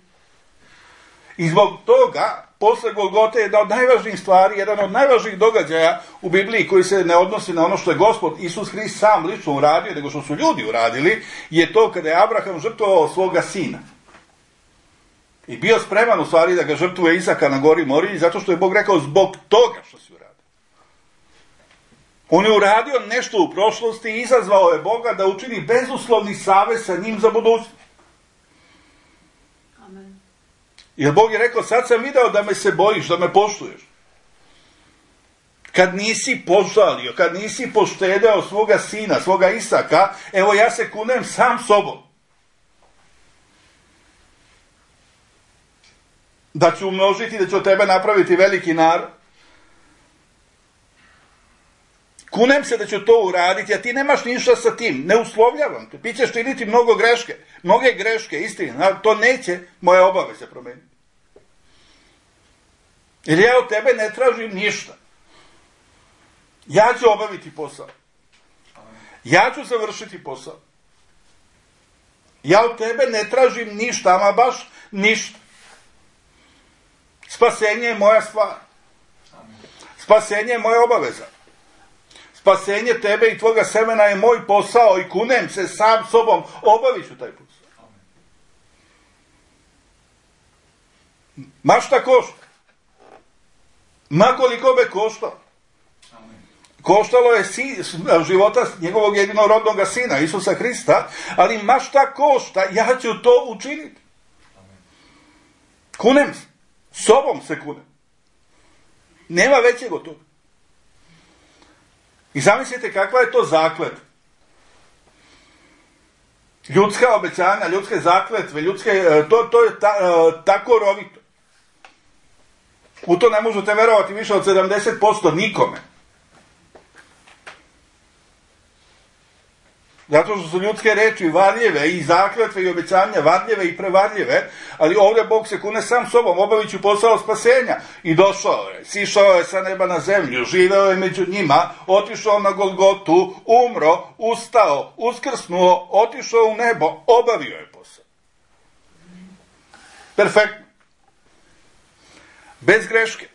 I zbog toga, posle Golgote je jedna od najvažnijih stvari, jedan od najvažnijih događaja u Bibliji koji se ne odnosi na ono što je Gospod Isus Hrist sam lično uradio, nego što su ljudi uradili, je to kada je Abraham žrtvovao svoga sina. I bio spreman u stvari da ga žrtvuje Isaka na gori Moriji, zato što je Bog rekao zbog toga što si uradio. On je uradio nešto u prošlosti i izazvao je Boga da učini bezuslovni savez sa njim za budućnost. Amen. Jer Bog je rekao, sad sam video da me se bojiš, da me poštuješ. Kad nisi požalio, kad nisi poštedeo svoga sina, svoga Isaka, evo ja se kunem sam sobom. Da ću umnožiti, da ću od tebe napraviti veliki narod. Kunem se da ću to uraditi, a ti nemaš ništa sa tim. Ne uslovljavam te. Ti ćeš činiti mnoge greške, istina. To neće moje obaveze promeniti. Jer ja od tebe ne tražim ništa. Ja ću obaviti posao. Ja ću završiti posao. Ja od tebe ne tražim ništa, ama baš ništa. Spasenje je moja stvar. Spasenje je moja obaveza. Spasenje tebe i tvoga semena je moj posao i kunem se sam sobom, obavit ću taj posao. Ma šta košta? Ma koliko be koštalo? Koštalo je života njegovog jedinorodnog sina, Isusa Hrista, ali ma šta košta, ja ću to učiniti. Kunem se. Sobom se kunem. Nema većeg od toga. I zamislite kakva je to zakletva. Ljudska obećanja, ljudske zakletve, to je tako rovito. U to ne možete verovati više od 70% nikome. Zato što su ljudske reči varljive i zakletve i obećanja varljive i prevarljive, ali ovdje Bog se kune sam sobom, obavit ću posao spasenja. I došao je, sišao je sa neba na zemlju, živeo je među njima, otišao na Golgotu, umro, ustao, uskrsnuo, otišao u nebo, obavio je posao. Perfektno. Bez greške.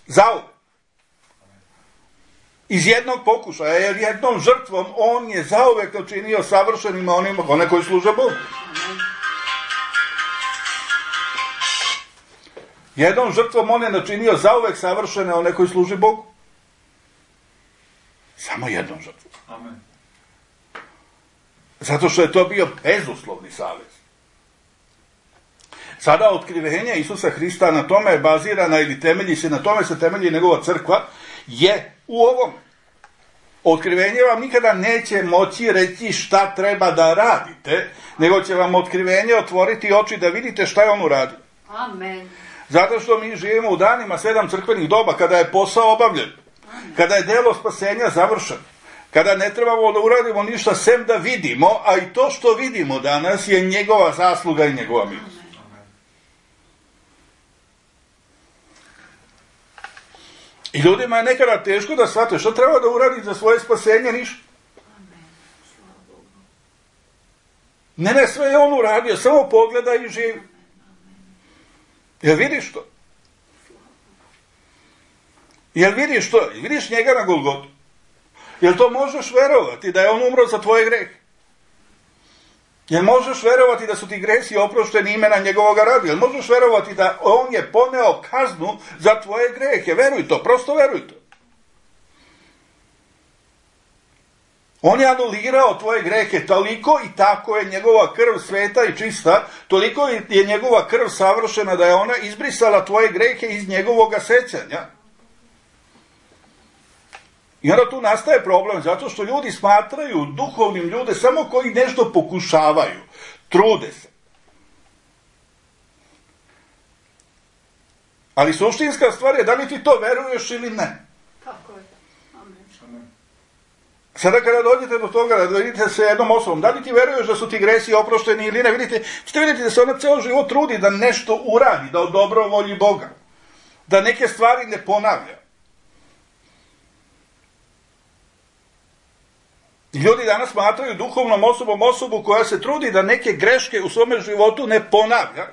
Zauvek. Iz jednog pokušaja, jer jednom žrtvom on je zauvek učinio savršenima one koji služe Bogu. Jednom žrtvom on je načinio zauvek savršene one koji služe Bogu. Samo jednom žrtvom. Amen. Zato što je to bio bezuslovni savez. Sada otkrivenje Isusa Hrista na tome je bazirana ili temelji se, na tome se temelji njegova crkva, je u ovom. Otkrivenje vam nikada neće moći reći šta treba da radite, nego će vam otkrivenje otvoriti oči da vidite šta je on uradio. Amen. Zato što mi živimo u danima 7 crkvenih doba, kada je posao obavljen, kada je delo spasenja završeno, kada ne trebamo da uradimo ništa sem da vidimo, a i to što vidimo danas je njegova zasluga i njegova milost. I ljudima je nekada teško da shvate što treba da uradi za svoje spasenje, ništa. Ne, sve je on uradio, samo pogleda i živi. Jel vidiš to? Jel vidiš to? Jel vidiš njega na Golgotu? Jel to možeš verovati da je on umro za tvoje grehe? Jel možeš verovati da su ti gresi oprošteni imena njegovoga rada? Jel možeš verovati da on je poneo kaznu za tvoje grehe? Veruj to, prosto veruj to. On je anulirao tvoje grehe, toliko i tako je njegova krv sveta i čista, toliko je njegova krv savršena da je ona izbrisala tvoje grehe iz njegovoga sećanja. I onda tu nastaje problem, zato što ljudi smatraju duhovnim ljude samo koji nešto pokušavaju, trude se. Ali suštinska stvar je da li ti to veruješ ili ne. Tako je. Amen. Sada kada dođete do toga da vidite se jednom osobom, da li ti veruješ da su ti gresi oprošteni ili ne, ćete vidjeti da se ona ceo život trudi da nešto uradi, da odobro volji Boga, da neke stvari ne ponavlja. Ljudi danas smatraju duhovnom osobom osobu koja se trudi da neke greške u svome životu ne ponavlja.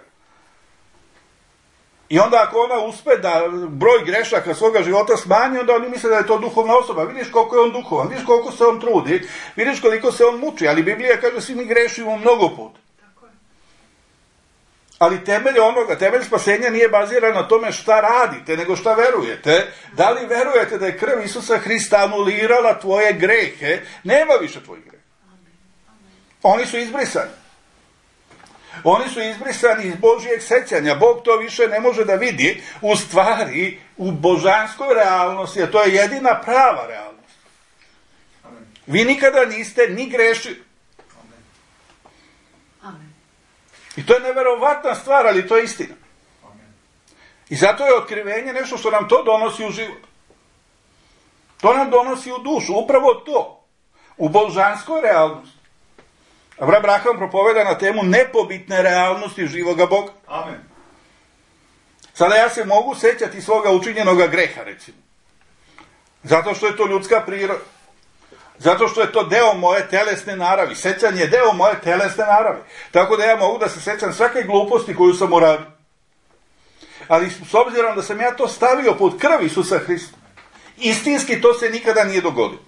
I onda ako ona uspe da broj grešaka svoga života smanji, onda oni misle da je to duhovna osoba. Vidiš koliko je on duhovan, vidiš koliko se on trudi, vidiš koliko se on muči, ali Biblija kaže svi mi grešimo mnogo puta. Ali temelj spasenja nije baziran na tome šta radite, nego šta verujete. Da li verujete da je krv Isusa Hrista anulirala tvoje grehe? Nema više tvojih greha. Oni su izbrisani. Oni su izbrisani iz Božijeg sećanja. Bog to više ne može da vidi u stvari, u božanskoj realnosti, a to je jedina prava realnost. Vi nikada niste ni grešili. I to je neverovatna stvar, ali to je istina. I zato je otkrivenje nešto što nam to donosi u život. To nam donosi u dušu, upravo to. U božanskoj realnosti. Abraham propoveda na temu nepobitne realnosti živoga Boga. Amen. Sada ja se mogu sećati svoga učinjenoga greha, recimo. Zato što je to ljudska priroda. Zato što je to deo moje telesne naravi. Sećanje je deo moje telesne naravi. Tako da ja mogu da se sećam svake gluposti koju sam uradio. Ali s obzirom da sam ja to stavio pod krv Isusa Hrista, istinski to se nikada nije dogodilo.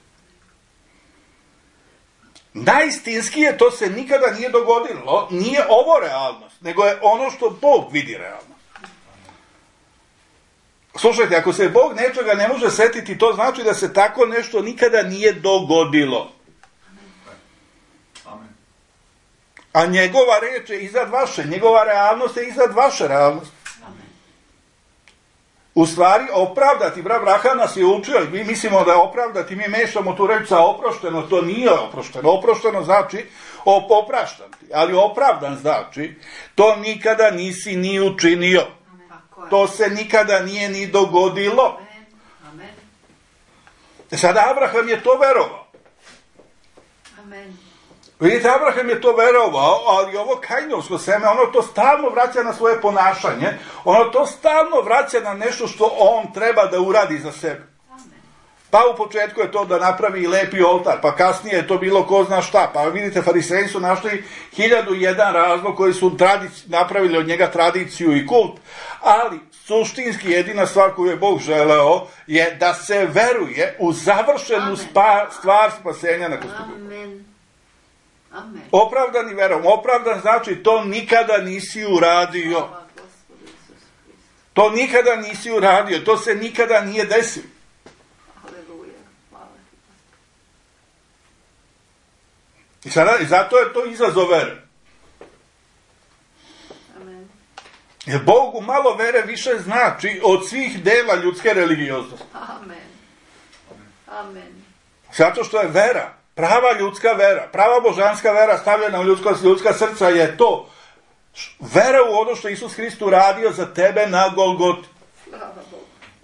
Najistinskije to se nikada nije dogodilo. Nije ovo realnost, nego je ono što Bog vidi realnost. Slušajte, ako se Bog nečega ne može setiti, to znači da se tako nešto nikada nije dogodilo. Amen. A njegova reč je iznad vaše, njegova realnost je iznad vaše realnosti. U stvari, opravdati, Abraham nas je učio, mi mislimo da je opravdati, mi mešamo tu reč sa oprošteno, to nije oprošteno. Oprošteno znači opraštati, ali opravdan znači, to nikada nisi ni učinio. To se nikada nije ni dogodilo. Amen. Sada Abraham je to verovao. Amen. Vidite, Abraham je to verovao, ali ovo Kainovsko seme, ono to stalno vraća na svoje ponašanje, ono to stalno vraća na nešto što on treba da uradi za sebe. Pa u početku je to da napravi lepi oltar, pa kasnije je to bilo ko zna šta, pa vidite, fariseji su našli 1001 razlog koji su napravili od njega tradiciju i kult, ali suštinski jedina stvar koju je Bog želeo je da se veruje u završenu stvar spasenja na krstu. Amen. Opravdani verom. Opravdan znači to nikada nisi uradio. To nikada nisi uradio. To se nikada nije desilo. I zato je to izazov vere. Amen. Jer Bogu malo vere više znači od svih dela ljudske religioznosti. Amen. Zato što je vera, prava ljudska vera, prava božanska vera stavljena u ljudska srca je to. Vera u ono što Isus Hrist uradio za tebe na Golgoti.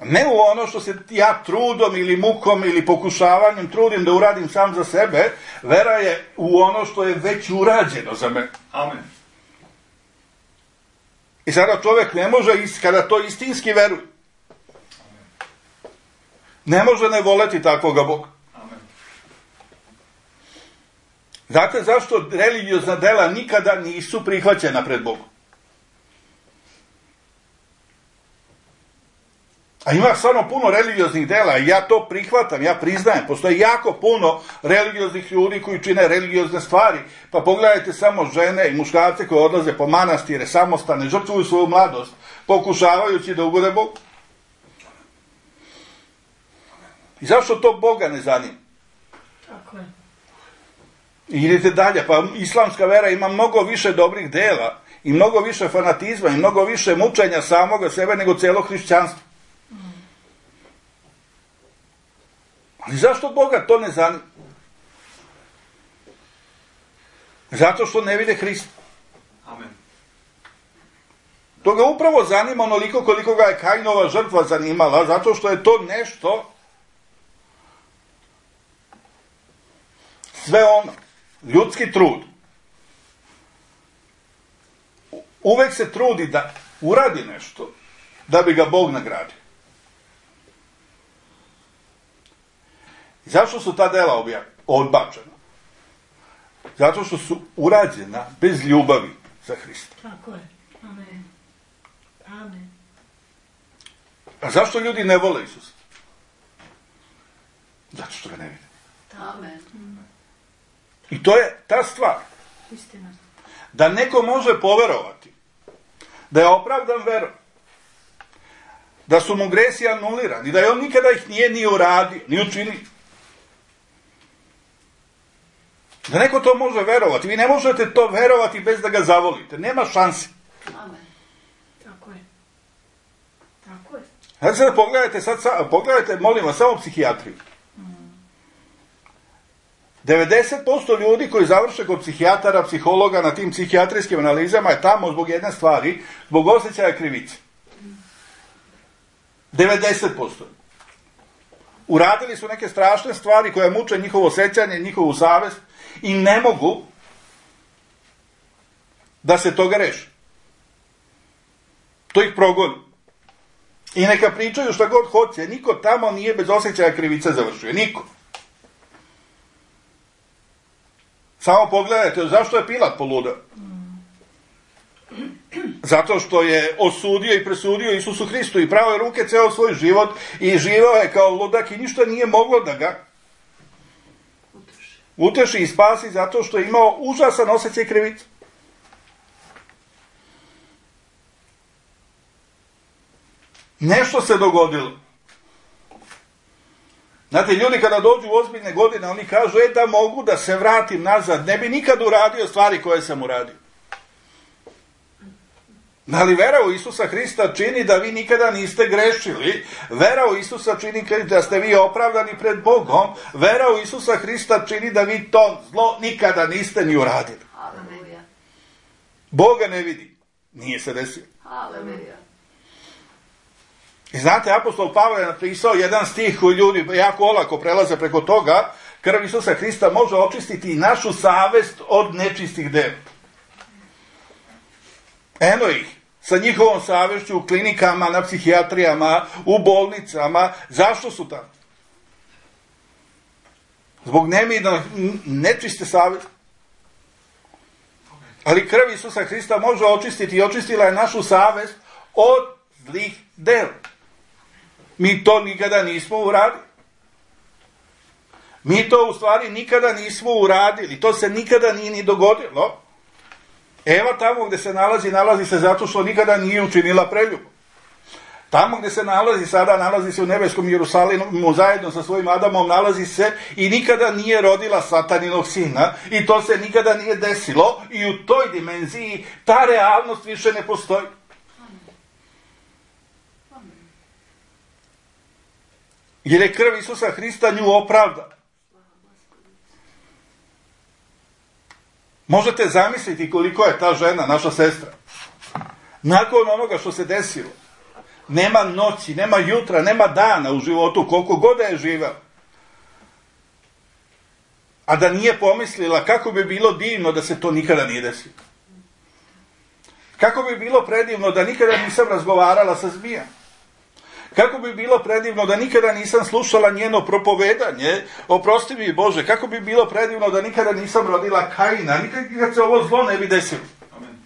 Ne u ono što se ja trudom ili mukom ili pokušavanjem trudim da uradim sam za sebe. Vera je u ono što je već urađeno za mene. Amen. I sada čovjek ne može, kada to istinski veruje, ne može ne voleti takvoga Boga. Amen. Znate zašto religiozna dela nikada nisu prihvaćena pred Bogom? A ima stvarno puno religioznih dela i ja to prihvatam, ja priznajem. Postoji jako puno religioznih ljudi koji čine religiozne stvari. Pa pogledajte samo žene i muškarce koji odlaze po manastire, samostane, žrtvuju svoju mladost, pokušavajući da ugode Bogu. I zašto to Boga ne zanima? Tako je. I idete dalje, pa islamska vera ima mnogo više dobrih dela i mnogo više fanatizma i mnogo više mučenja samoga sebe nego cijelo hrišćanstvo. Ali zašto Boga to ne zanima? Zato što ne vide Hrista. Amen. To ga upravo zanima onoliko koliko ga je Kainova žrtva zanimala, zato što je to nešto, sve ono, ljudski trud. Uvek se trudi da uradi nešto, da bi ga Bog nagradio. Zašto su ta dela odbačena? Zato što su urađena bez ljubavi za Hrista. Tako je. Amen. Amen. A zašto ljudi ne vole Isusa? Zato što ga ne vide. Amen. I to je ta stvar. Istina. Da neko može poverovati, da je opravdan verom, da su mu gresi anulirani, da je on nikada ih nije ni uradio, ni učinio. Da neko to može verovati. Vi ne možete to verovati bez da ga zavolite. Nema šansi. Amen. Tako je. Tako je. Znači sad pogledajte, molim vas, samo psihijatriju. 90% ljudi koji završe kod psihijatara, psihologa na tim psihijatrijskim analizama je tamo zbog jedne stvari, zbog osjećaja krivice. 90%. Uradili su neke strašne stvari koje muče njihovo osjećanje, njihovu savest i ne mogu da se toga reši. To ih progoni. I neka pričaju šta god hoće, niko tamo nije bez osjećaja krivice završio. Niko. Samo pogledajte, zašto je Pilat poludeo? Zato što je osudio i presudio Isusu Hristu i pravo je ruke ceo svoj život i živao je kao ludak i ništa nije moglo da ga uteši i spasi zato što je imao užasan osjećaj krivice. Nešto se dogodilo. Znate, ljudi kada dođu u ozbiljne godine, oni kažu, da mogu da se vratim nazad, ne bi nikad uradio stvari koje sam uradio. Ali vera u Isusa Hrista čini da vi nikada niste grešili, vera u Isusa čini da ste vi opravdani pred Bogom, vera u Isusa Hrista čini da vi to zlo nikada niste ni uradili. Aleluja. Boga ne vidi, nije se desilo. Aleluja. I znate, apostol Pavle je napisao jedan stih koji ljudi jako olako prelaze preko toga, krv Isusa Hrista može očistiti i našu savest od nečistih dela. Eno ih, sa njihovom savešću u klinikama, na psihijatrijama, u bolnicama. Zašto su tamo? Zbog nečiste savesti. Ali krv Isusa Hrista može očistiti i očistila je našu savest od zlih dela. Mi to nikada nismo uradili. Mi to u stvari nikada nismo uradili. To se nikada nije ni dogodilo. Eva tamo gde se nalazi se zato što nikada nije učinila preljubu. Tamo gde se nalazi se u nebeskom Jerusalimu zajedno sa svojim Adamom, nalazi se i nikada nije rodila sataninog sina i to se nikada nije desilo i u toj dimenziji ta realnost više ne postoji. Jer je krv Isusa Hrista nju opravda. Možete zamisliti koliko je ta žena, naša sestra, nakon onoga što se desilo, nema noći, nema jutra, nema dana u životu, koliko god je živela, a da nije pomislila kako bi bilo divno da se to nikada nije desilo. Kako bi bilo predivno da nikada nisam razgovarala sa zmijom. Kako bi bilo predivno da nikada nisam slušala njeno propovedanje, oprosti mi Bože, kako bi bilo predivno da nikada nisam rodila Kaina, nikad se ovo zlo ne bi desilo. Amen.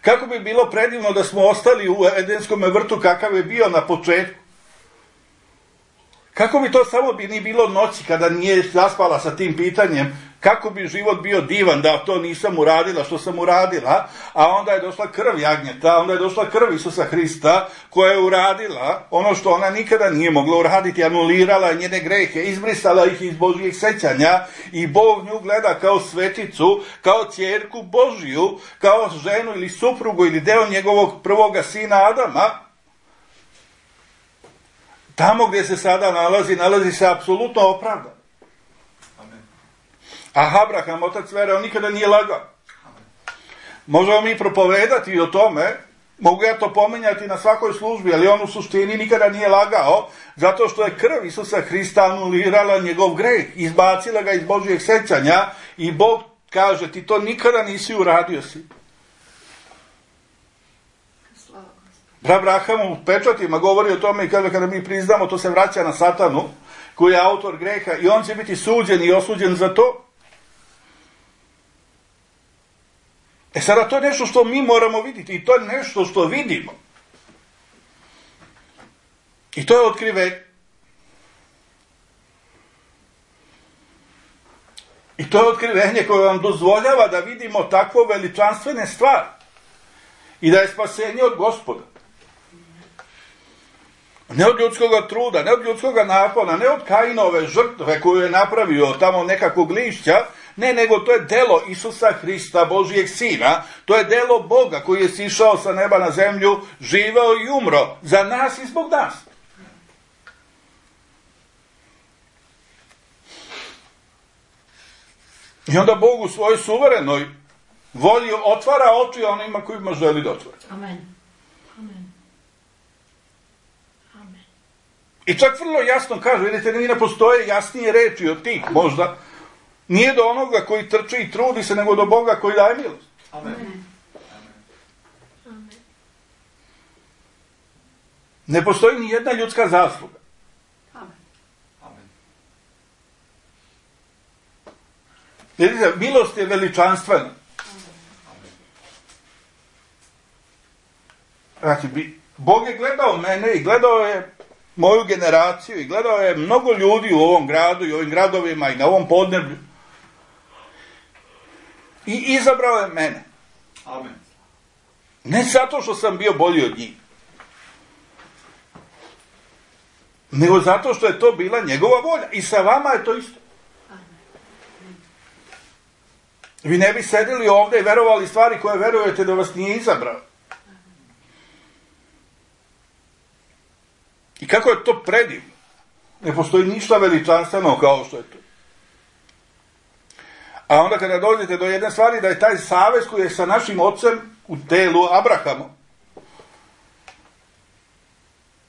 Kako bi bilo predivno da smo ostali u Edenskom vrtu kakav je bio na početku. Kako bi to samo ni bilo noći kada nije zaspala sa tim pitanjem, kako bi život bio divan da to nisam uradila što sam uradila, a onda je došla krv jagnjeta, onda je došla krv Isusa Hrista koja je uradila ono što ona nikada nije mogla uraditi, anulirala njene grehe, izbrisala ih iz Božjih sećanja i Bog nju gleda kao sveticu, kao ćerku Božju, kao ženu ili suprugu ili deo njegovog prvoga sina Adama. Tamo gdje se sada nalazi se apsolutno opravdan. Amen. A Abraham, otac vere, on nikada nije lagao. Možemo mi propovedati o tome, mogu ja to pominjati na svakoj službi, ali on u suštini nikada nije lagao, zato što je krv Isusa Hrista anulirala njegov greh, izbacila ga iz Božjeg sećanja i Bog kaže, ti to nikada nisi uradio si. Abraham u pečatima govori o tome i kaže kada mi priznamo, to se vraća na Satanu, koji je autor greha i on će biti suđen i osuđen za to. Sada to je nešto što mi moramo vidjeti i to je nešto što vidimo. I to je otkrivenje. I to je otkrivenje koje vam dozvoljava da vidimo takvo veličanstvene stvari. I da je spasenje od Gospoda. Ne od ljudskog truda, ne od ljudskog napona, ne od Kainove žrtve koju je napravio tamo nekakvog lišća, ne, nego to je delo Isusa Hrista, Božijeg Sina, to je delo Boga koji je sišao sa neba na zemlju, živeo i umro za nas i zbog nas. I onda Bog u svojoj suverenoj volji otvara oči onima kojima želi da otvori. Amen. Amen. Amen. I čak vrlo jasno kaže, vidite, ne postoje jasnije reči od tih, možda. Nije do onoga koji trči i trudi se, nego do Boga koji daje milost. Amen. Amen. Ne postoji ni jedna ljudska zasluga. Amen. Amen. Vidite, milost je veličanstvena. Znači, Bog je gledao mene i gledao je moju generaciju i gledao je mnogo ljudi u ovom gradu i ovim gradovima i na ovom podneblju. I izabrao je mene. Amen. Ne zato što sam bio bolji od njih, nego zato što je to bila njegova volja. I sa vama je to isto. Vi ne bi sedili ovdje i verovali stvari koje verujete da vas nije izabrao. I kako je to predivno. Ne postoji ništa veličanstveno kao što je to. A onda kada dođete do jedne stvari, da je taj savez koji je sa našim ocem u telu Abrahamom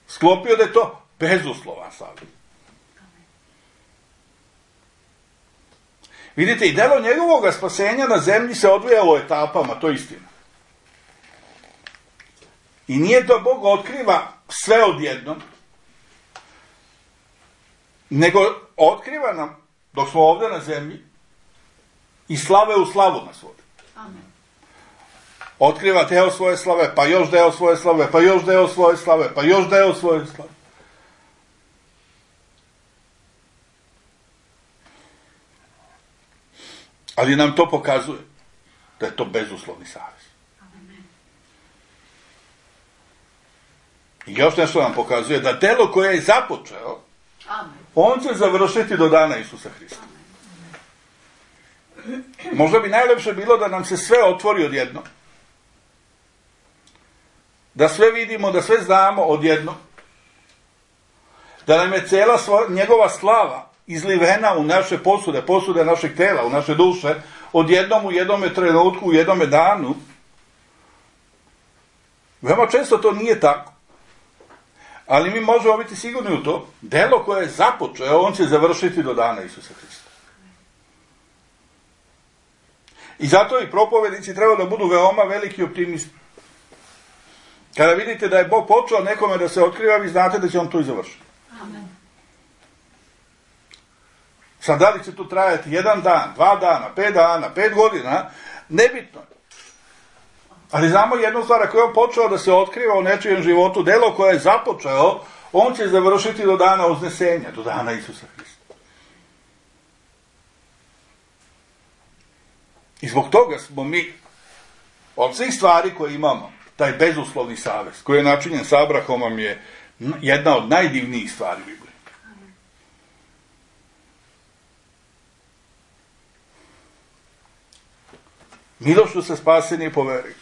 sklopio, da je to bezuslovan savez. Vidite, i delo njegovog spasenja na zemlji se odvijalo etapama, to je istina. I nije da Bog otkriva sve odjednom, nego otkriva nam, dok smo ovdje na zemlji, i slave u slavu nas vodi. Amen. Otkriva deo svoje slave, pa još deo svoje slave, pa još deo svoje slave, pa još deo svoje slave. Ali nam to pokazuje da je to bezuslovni savez. Amen. I još nešto nam pokazuje da delo koje je započeo, Amen. on će završiti do dana Isusa Hrista. Možda bi najlepše bilo da nam se sve otvori odjedno. Da sve vidimo, da sve znamo odjedno. Da nam je cijela njegova slava izlivena u naše posude našeg tela, u naše duše, odjednom u jednome trenutku, u jednome danu. Veoma često to nije tako. Ali mi možemo biti sigurni u to. Delo koje je započeo, on će završiti do dana Isusa Hrista. I zato i propovednici treba da budu veoma veliki optimisti. Kada vidite da je Bog počeo nekome da se otkriva, vi znate da će on to i završiti. Amen. Sad, da li će to trajati 1 dan, 2 dana, 5 dana, 5 godina, nebitno. Ali znamo jednu stvar, ako je on počeo da se otkriva u nečijem životu, delo koje je započeo, on će završiti do dana uznesenja, do dana Isusa Hrista. I zbog toga smo mi, od svih stvari koje imamo, taj bezuslovni savez, koji je načinjen sa Abrahamom, je jedna od najdivnijih stvari Biblije. Milošću se spaseni po veri.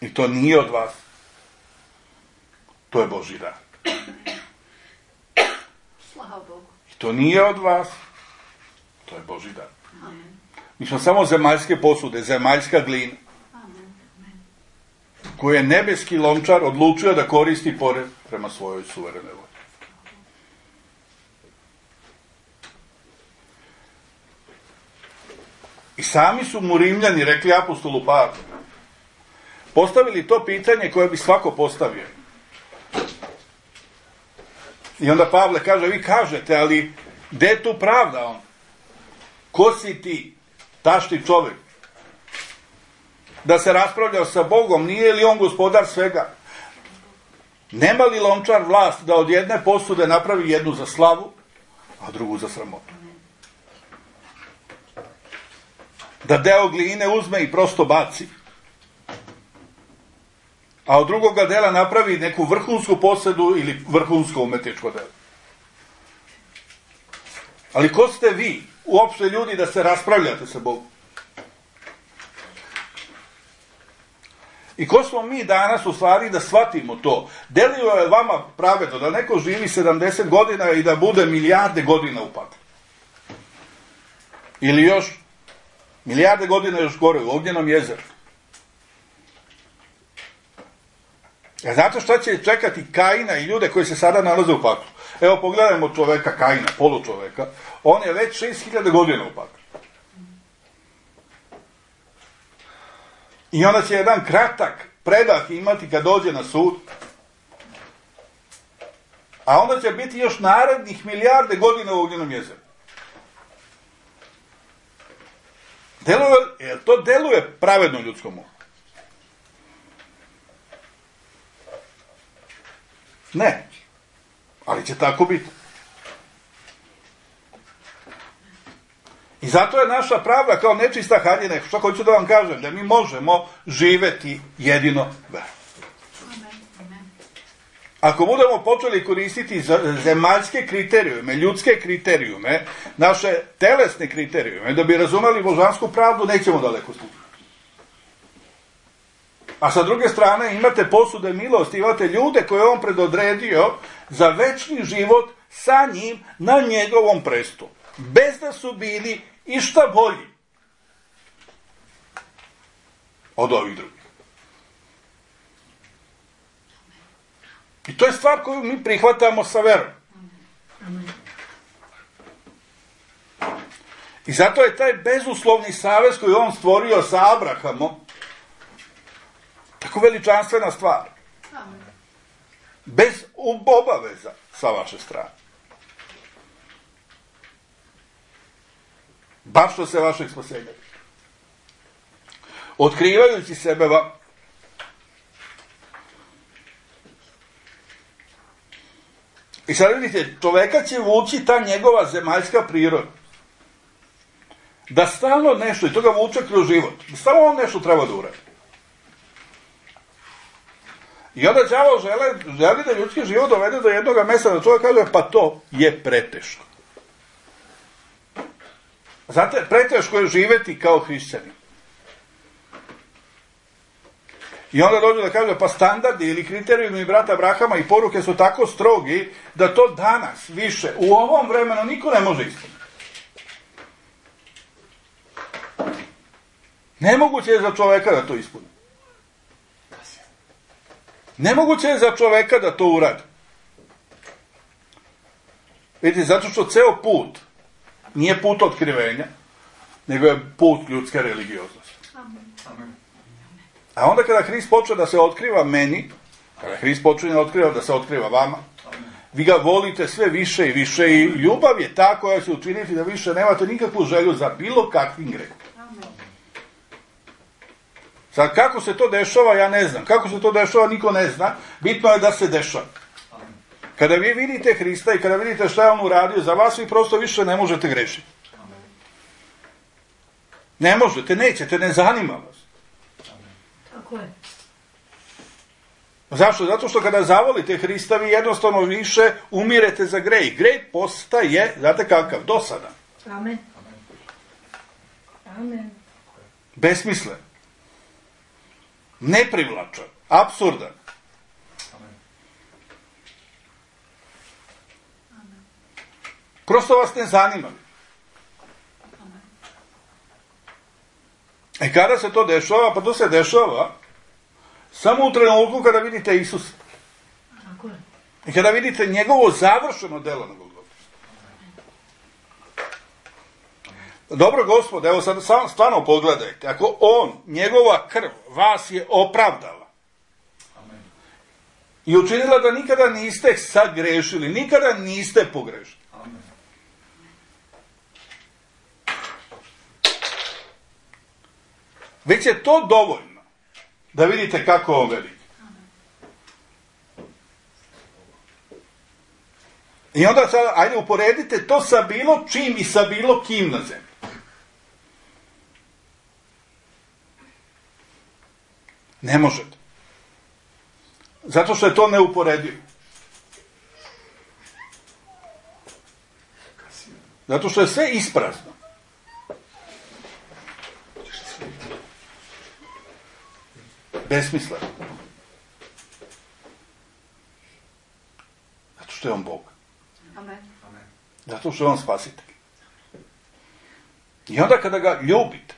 I to nije od vas. To je Božji dar. Slava Bogu. I to nije od vas. To je Božji dar. Amen. Mi smo samo zemaljske posude, zemaljska glina, Amen. koju je nebeski lončar odlučio da koristi prema svojoj suverenoj volji. I sami su mu Rimljani rekli apostolu Pavlu, postavili to pitanje koje bi svako postavio. I onda Pavle kaže, vi kažete, ali gde je tu pravda on? Ko si ti, tašti čovjek? Da se raspravljao sa Bogom, nije li on gospodar svega? Nema li lončar vlast da od jedne posude napravi jednu za slavu, a drugu za sramotu? Da deo gline uzme i prosto baci, a od drugoga dela napravi neku vrhunsku posedu ili vrhunsko umetničko delo. Ali ko ste vi, uopšte ljudi, da se raspravljate sa Bogom? I ko smo mi danas u stvari da shvatimo to? Delio je vama pravedno da neko živi 70 godina i da bude milijarde godina u paklu? Ili još milijarde godina još gore u ognjenom jezeru? A znate šta će čekati Kaina i ljude koji se sada nalaze u paklu? Evo pogledajmo čoveka Kaina, polučoveka. On je već 6000 godina u paklu. I onda će jedan kratak predah imati kad dođe na sud. A onda će biti još narednih milijarde godina u ognjenom jezeru. To deluje pravedno ljudskom umu? Ne. Ali će tako biti. I zato je naša pravda kao nečista haljina. Što hoću da vam kažem? Da mi možemo živeti jedino verom. Ako budemo počeli koristiti zemaljske kriterijume, ljudske kriterijume, naše telesne kriterijume, da bi razumeli božansku pravdu, nećemo daleko stići. A sa druge strane imate posude milosti, imate ljude koje on predodredio za večni život sa njim na njegovom prestolu. Bez da su bili išta bolji od ovih drugih. I to je stvar koju mi prihvatamo sa verom. I zato je taj bezuslovni savez koji on stvorio sa Abrahamom tako veličanstvena stvar. Bez obaveza sa vaše strane. Baš što se vašeg spasenja. Otkrivajući sebe vam. I sad vidite, čoveka će vući ta njegova zemaljska priroda. Da stalno nešto, i to ga vuče kroz život, da stalno on nešto treba da uradi. I onda đavo želi da ljudski život dovede do jednog mesta da čovjek kaže, pa to je preteško. Znate, preteško je živeti kao hrišćanin. I onda dođe da kaže, pa standardi ili kriterijumi brata Abrahama i poruke su tako strogi, da to danas više, u ovom vremenu, niko ne može ispuniti. Nemoguće je za čoveka da to ispuni. Nemoguće je za čoveka da to uradi. Vidite, zato što ceo put nije put otkrivenja, nego je put ljudske religioznosti. Amen. A onda kada Hrist počne da se otkriva meni, kada Hrist počne da se otkriva vama, vi ga volite sve više i više i ljubav je ta koja će učiniti da više nemate nikakvu želju za bilo kakvim grehom. Sad, kako se to dešava, ja ne znam. Kako se to dešava, niko ne zna. Bitno je da se dešava. Kada vi vidite Hrista i kada vidite šta je on uradio za vas, vi prosto više ne možete grešiti. Ne možete, nećete, ne zanima vas. Tako je. Zašto? Zato što kada zavolite Hrista, vi jednostavno više umirete za grej. Grej postaje, znate kakav, dosadan. Amen. Amen. Besmislen. Neprivlačan. Apsurdan. Prosto vas ne zanima. I kada se to dešava? Pa to se dešava samo u trenutku kada vidite Isusa. I kada vidite njegovo završeno delo na Golgoti. Dobro, Gospode, evo sad stvarno pogledajte. Ako on, njegova krv, vas je opravdala. i učinila da nikada niste sagrešili, nikada niste pogrešili. Amen. Već je to dovoljno da vidite kako on veliki. I onda sad, ajde uporedite to sa bilo čim i sa bilo kim na zemlji. Ne možete. Zato što je to neuporedivo. Zato što je sve isprazno. Besmisleno. Zato što je on Bog. Amen. Zato što je on spasitelj. I onda kada ga ljubite,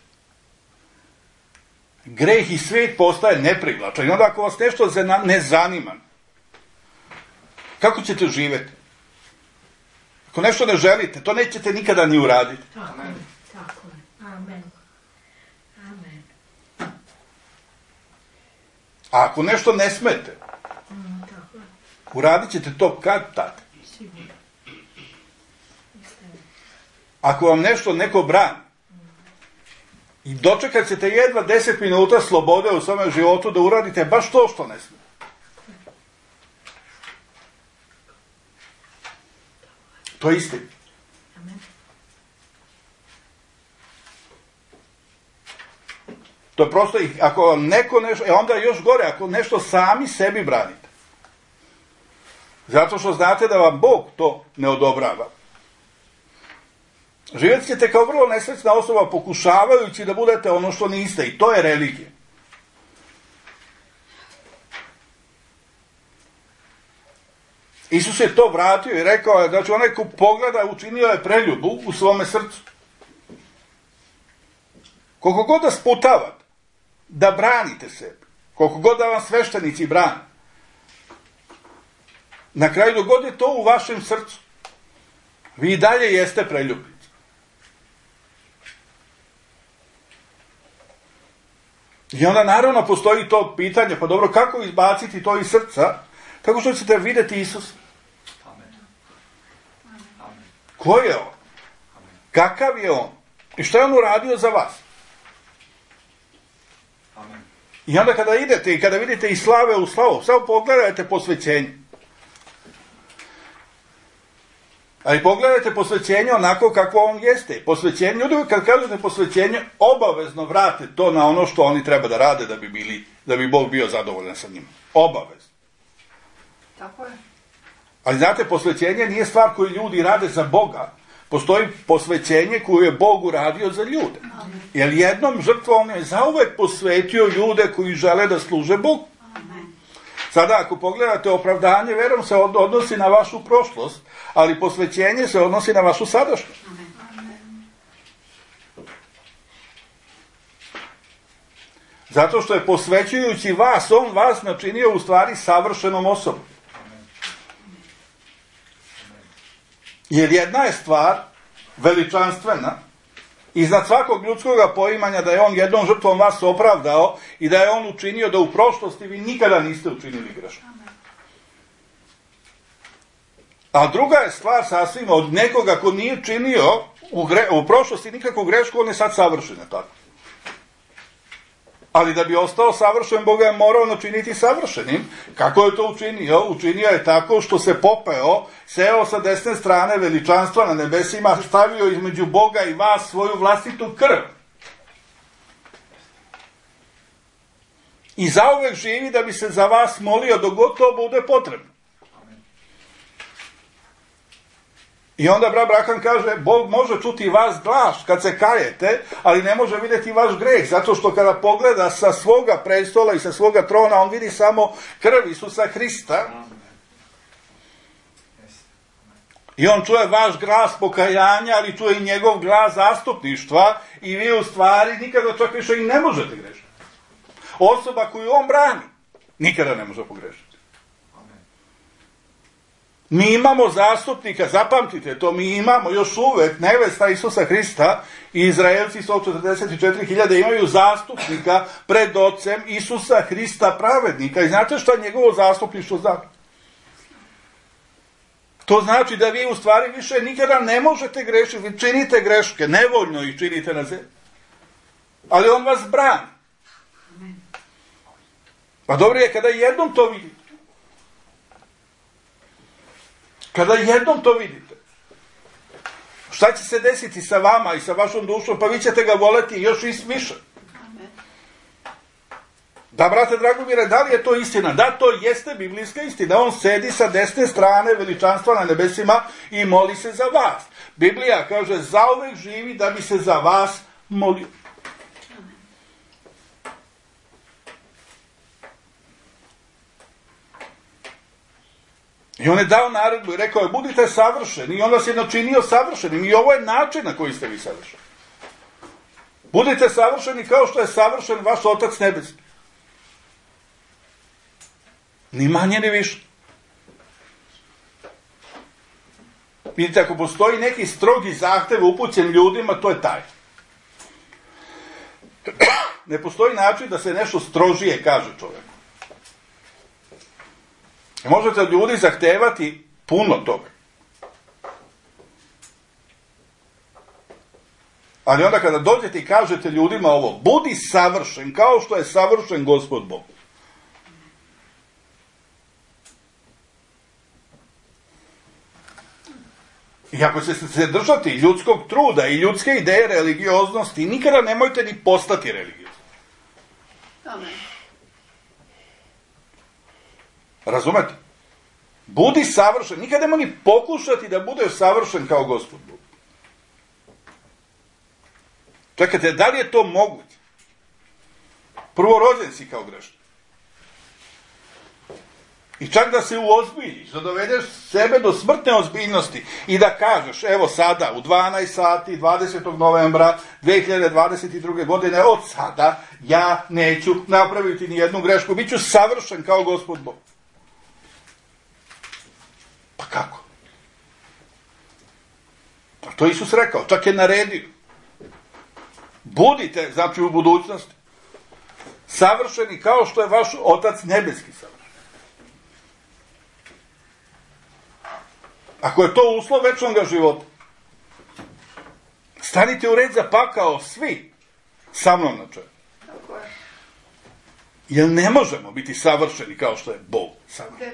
greh i svijet postaje neprivlačan. I onda ako vas nešto ne zanima, kako ćete živjeti? Ako nešto ne želite, to nećete nikada ni uraditi. Tako je, tako je. Amen. Amen. A ako nešto ne smete, Tako je. uradit ćete to kad tad. Sigurno. Istina. Ako vam nešto neko brani, i dočekat ćete jedva 10 minuta slobode u svome životu da uradite baš to što ne smete. To je istina. Amen. To je prosto, ako vam neko nešto, onda je još gore, ako nešto sami sebi branite. Zato što znate da vam Bog to ne odobrava. Živjet ćete kao vrlo nesrećna osoba pokušavajući da budete ono što niste. I to je religija. Isus je to vratio i rekao je, znači onaj ko pogleda učinio je preljubu u svome srcu. Koliko god da sputavate, da branite sebe, koliko god da vam sveštenici brane, na kraju dogod je to u vašem srcu, vi i dalje jeste preljubnici. I onda naravno postoji to pitanje, pa dobro, kako izbaciti to iz srca? Tako što ćete vidjeti Isusa. Amen. Amen. Ko je on? Kakav je on? I što je on uradio za vas? Amen. I onda kada idete i kada vidite i slave u slavu, samo pogledajte posvećenje. Ali pogledajte posvećenje onako kako on jeste. Posvećenje, uvijek kad kažete posvećenje, obavezno vrate to na ono što oni treba da rade da bi Bog bio zadovoljan sa njima. Obavezno. Tako je. Ali znate, posvećenje nije stvar koju ljudi rade za Boga. Postoji posvećenje koju je Bog uradio za ljude. Jer jednom žrtvom on je zauvek posvetio ljude koji žele da služe Bogu. Sada, ako pogledate, opravdanje verom se odnosi na vašu prošlost, ali posvećenje se odnosi na vašu sadašnjost. Zato što je posvećujući vas, on vas načinio u stvari savršenom osobom. Jer jedna je stvar veličanstvena, iznad svakog ljudskog poimanja, da je on jednom žrtvom vas opravdao i da je on učinio da u prošlosti vi nikada niste učinili grešno. A druga je stvar sasvim od nekoga ko nije činio u prošlosti nikakvu grešku, on je sad savršen, tako. Ali da bi ostao savršen, Bog je morao načiniti savršenim. Kako je to učinio? Učinio je tako što se popeo, seo sa desne strane veličanstva na nebesima, stavio između Boga i vas svoju vlastitu krv. I zauvek živi da bi se za vas molio dok god to bude potrebno. I onda brat Braham kaže, Bog može čuti vas glas kad se kajete, ali ne može vidjeti vaš greh, zato što kada pogleda sa svoga prestola i sa svoga trona, on vidi samo krv Isusa Hrista. I on čuje vaš glas pokajanja, ali čuje i njegov glas zastupništva i vi u stvari nikada čak više i ne možete grešiti. Osoba koju on brani nikada ne može pogrešiti. Mi imamo zastupnika, zapamtite to, mi imamo još uvek nevesta Isusa Hrista i Izraelci 144.000 imaju zastupnika pred Ocem Isusa Hrista pravednika. I znate šta njegovo zastupništvo znači? To znači da vi u stvari više nikada ne možete grešiti, vi činite greške, nevoljno ih činite na zemlji. Ali on vas brani. Pa dobro je kada jednom to vidite. Kada jednom to vidite, šta će se desiti sa vama i sa vašom dušom? Pa vi ćete ga voleti još više. Da, brate Dragomire, da li je to istina? Da, to jeste biblijska istina. On sedi sa desne strane veličanstva na nebesima i moli se za vas. Biblija kaže, zauvek živi da bi se za vas molio. I on je dao naredbu i rekao je, budite savršeni. I on vas je načinio savršenim. I ovo je način na koji ste vi savršeni. Budite savršeni kao što je savršen vaš Otac nebeski. Ni manje ni više. Vidite, ako postoji neki strogi zahtev upućen ljudima, to je taj. Ne postoji način da se nešto strožije kaže čovjeku. Možete od ljudi zahtevati puno toga. Ali onda kada dođete i kažete ljudima ovo, budi savršen kao što je savršen Gospod Bog. I ako ćete se držati ljudskog truda i ljudske ideje religioznosti, nikada nemojte ni postati religiozni. Amen. Razumete? Budi savršen. Nikada nemoj ni pokušati da budeš savršen kao Gospod Bog. Čekajte, da li je to moguće? Prvo, rođen si kao grešnik. I čak da se uozbiljiš, da dovedeš sebe do smrtne ozbiljnosti i da kažeš, evo sada, u 12 sati, 20. novembra 2022. godine, od sada ja neću napraviti ni jednu grešku, bit ću savršen kao Gospod Bog. Pa kako? Pa to Isus rekao, čak je naredio. Budite, znači u budućnosti, savršeni kao što je vaš Otac nebeski savršen. Ako je to uslov večnog života, stanite u red za pakao svi sa mnom na čelu. Jer ne možemo biti savršeni kao što je Bog savršen.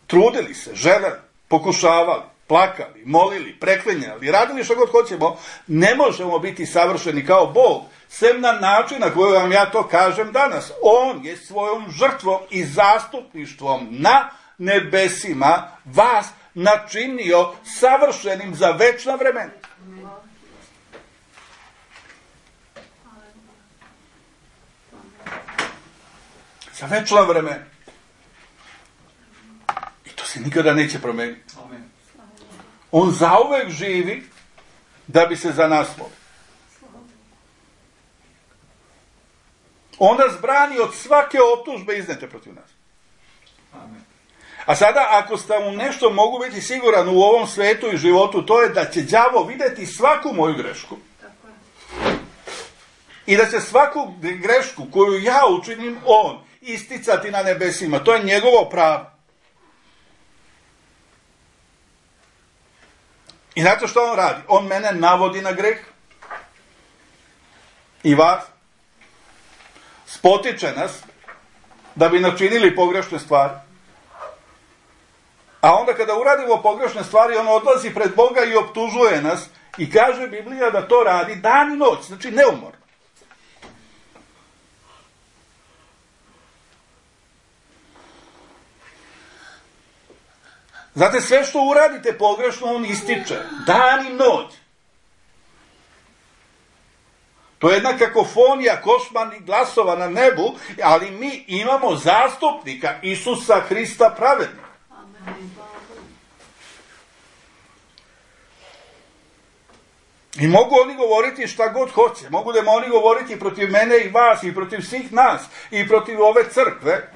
Trudili se, želeli, pokušavali, plakali, molili, preklinjali, radili što god hoćemo, ne možemo biti savršeni kao Bog, sem na način na koji vam ja to kažem danas. On je svojom žrtvom i zastupništvom na nebesima vas načinio savršenim za večna vremena. Za večna vremena. I to se nikada neće promeniti. On zauvek živi da bi se za nas molio. On nas brani od svake optužbe iznete protiv nas. A sada, ako ste mu nešto mogu biti siguran u ovom svetu i životu, to je da će đavo vidjeti svaku moju grešku. I da će svaku grešku koju ja učinim, on isticati na nebesima. To je njegovo pravo. I znate što on radi? On mene navodi na greh. I vas. Spotiče nas da bi načinili pogrešne stvari. A onda kada uradimo pogrešne stvari, on odlazi pred Boga i optužuje nas i kaže Biblija da to radi dan i noć, znači neumorno. Znate, sve što uradite pogrešno, on ističe. Dan i noć. To je jedna kakofonija košmarnih glasova na nebu, ali mi imamo zastupnika Isusa Hrista pravednika. I mogu oni govoriti šta god hoće. Mogu da oni govoriti protiv mene i vas i protiv svih nas i protiv ove crkve.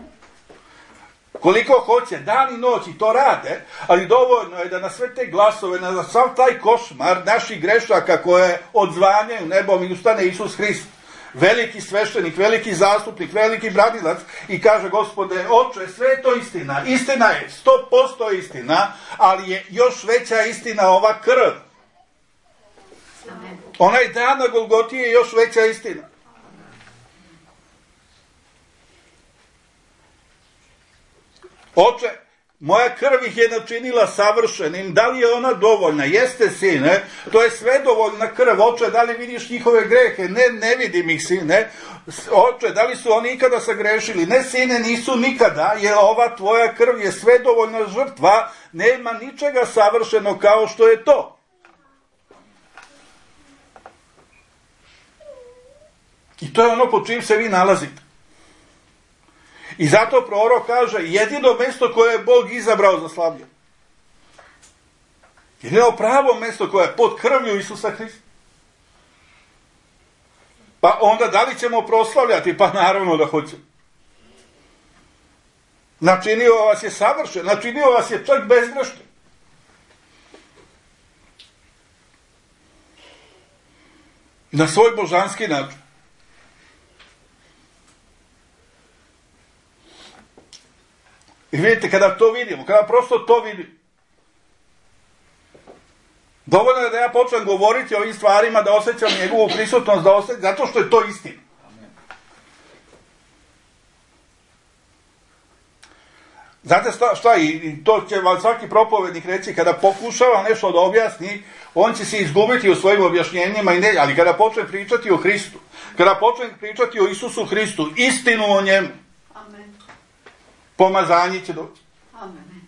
Koliko hoće, dan i noć i to rade, ali dovoljno je da na sve te glasove, na sav taj košmar naših grešaka koje odzvanjaju nebom i ustane Isus Hrist, veliki sveštenik, veliki zastupnik, veliki branilac i kaže: Gospode, Oče, sve je to istina. Istina je 100% istina, ali je još veća istina ova krv. Onaj dan na Golgoti je još veća istina. Oče, moja krv ih je načinila savršenim, da li je ona dovoljna? Jeste, sine, to je sve dovoljna krv. Oče, da li vidiš njihove grehe? Ne vidim ih, sine. Oče, da li su oni ikada sagrešili? Ne, sine, nisu nikada, jer ova tvoja krv je sve dovoljna žrtva, nema ničega savršeno kao što je to. I to je ono pod čim se vi nalazite. I zato prorok kaže: jedino mesto koje je Bog izabrao za slavlje. Jedino pravo mesto koje je pod krvlju Isusa Hrista. Pa onda da li ćemo proslavljati? Pa naravno da hoćemo. Načinio vas je savršen, načinio vas je čak bezgrešni. Na svoj božanski način. I vidite, kada to vidimo, kada prosto to vidimo, dovoljno je da ja počnem govoriti o ovim stvarima, da osjećam njegovu prisutnost, zato što je to istina. Znate šta, i to će vam svaki propovednik reći, kada pokušava nešto da objasni, on će se izgubiti u svojim objašnjenjima, ali kada počne pričati o Hristu, kada počne pričati o Isusu Hristu, istinu o njemu, pomazanje će doći. Amen.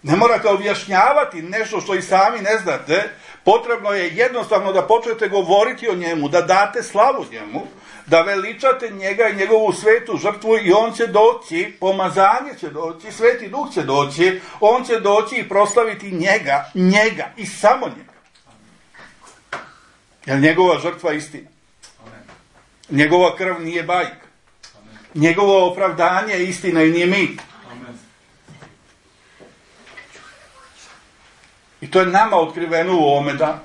Ne morate objašnjavati nešto što i sami ne znate, potrebno je jednostavno da počnete govoriti o njemu, da date slavu njemu, da veličate njega i njegovu svetu žrtvu i on će doći, pomazanje će doći, Sveti Duh će doći, on će doći i proslaviti njega i samo njega. Jer njegova žrtva je istina. Njegova krv nije bajka. Njegovo opravdanje je istina i nije mit. I to je nama otkriveno u ovome danu.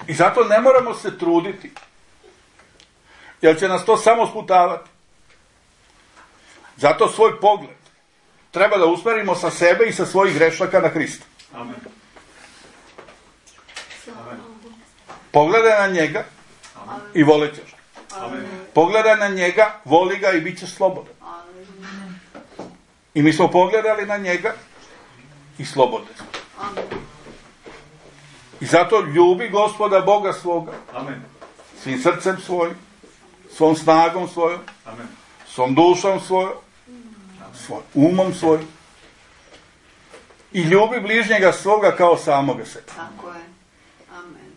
I zato ne moramo se truditi, jer će nas to samo sputavati. Zato svoj pogled treba da usmerimo sa sebe i sa svojih grešaka na Hrista. Amen. Pogledaj na njega i volit ćeš. Pogledaj na njega, voli ga i bit ćeš slobodan. I mi smo pogledali na njega i slobodni smo. I zato ljubi Gospoda Boga svoga. Amen. Svim srcem svojim, svom snagom svojom, Amen. svom dušom svojom, svojim umom svojim. I ljubi bližnjega svoga kao samoga sebe. Tako je. Amen.